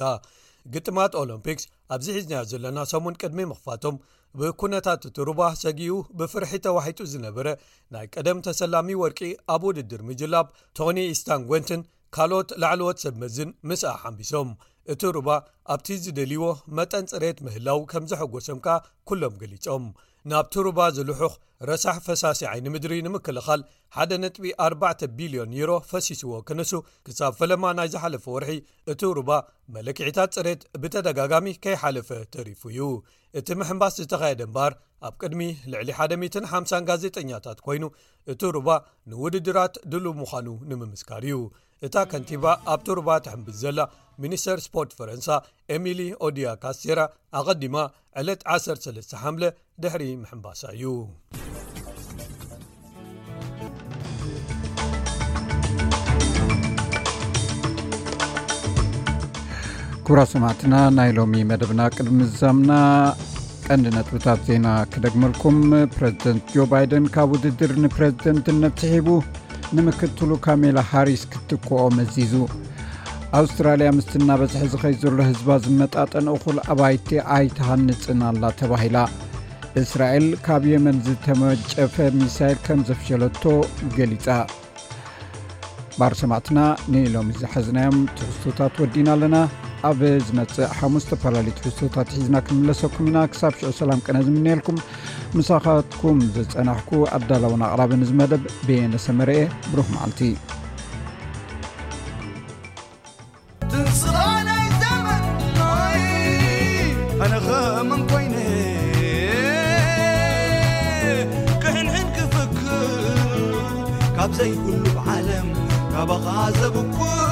ግጥማት ኦሎምፒክስ ኣብዚ ሒዝናዮ ዘለና ሰሙን ቅድሚ ምኽፋቶም ብኩነታት እቲ ሩባ ሰጊኡ ብፍርሒ ተዋሒጡ ዝነበረ ናይ ቀደም ተሰላሚ ወርቂ ኣብ ውድድር ምጅላብ ቶኒ ኢስታንጎንትን ካልኦት ላዕለዎት ሰብ መዝን ምስኣ ሓንቢሶም። እቲ ሩባ ኣብቲ ዝደልይዎ መጠን ጽሬት ምህላው ከም ዘሐጎሶም ከኣ ኩሎም ገሊጾም። ናብቲ ሩባ ዝልሑኽ ረሳሕ ፈሳሲ ዓይኒ ምድሪ ንምክልኻል ሓደ ነጥቢ ኣርባዕተ ቢልዮን ዩሮ ፈሲስዎ ክንሱ ክሳብ ፈለማ ናይ ዝሓለፈ ወርሒ እቲ ሩባ መለክዒታት ጽሬት ብተደጋጋሚ ከይሓለፈ ተሪፉ እዩ። እቲ ምሕንባስ ዝተኻየደ እምበኣር ኣብ ቅድሚ ልዕሊ ሓደ ሚእትን ሓምሳን ጋዜጠኛታት ኮይኑ እቲ ሩባ ንውድድራት ድሉው ምዃኑ ንምምስካር እዩ። እታ ከንቲባ ኣብቲ ሩባ ትሕንብስ ዘላ ሚኒስተር ስፖርት ፈረንሳ ኤሚሊ ኦዲያ ካስቴራ ኣቐዲማ ዕለት ዓሰርተ ሰለስተ ሓምለ ድሕሪ ምሕንባሳ እዩ። ክቡራት ሰማዕትና፣ ናይ ሎሚ መደብና ቅድሚ ምዛምና ቀንዲ ነጥብታት ዜና ክደግመልኩም። ፕረዚደንት ጆ ባይደን ካብ ውድድር ንፕረዚደንትነት ስሒቡ ንምክትሉ ካሜላ ሃሪስ ክትክኦ መዚዙ። ኣውስትራልያ ምስቲ እናበዝሐ ዝኸይድ ዘሎ ህዝባ ዝመጣጠን እኹል ኣባይቲ ኣይትሃንጽን ኣላ ተባሂላ። እስራኤል ካብ የመን ዝተመጨፈ ሚሳይል ከም ዘፍሸለቶ ገሊጻ። ባር ሰማዕትና ንሎሚ ዝሓዝናዮም ትሕዝቶታት ወዲና ኣለና። ኣብ ዝመጽእ ሓሙስ ዝተፈላለዩ ትሕዝቶታት ሒዝና ክንምለሰኩም ኢና። ክሳብ ሽዑ ሰላም ቅነ ዝምነየልኩም። ምሳኻትኩም ዝጸናሕኩ ኣዳላውን ኣቕራብን እዚ መደብ በየነ ሰመረኤ። ብሩኽ መዓልቲ። ትንስራይ ናይ ዘመን ማይ ኣነ ኸመን ኮይነ ክሕንሕን ክፍክር ካብ ዘይብሉ ዓለም ካባኻ ዘብኩር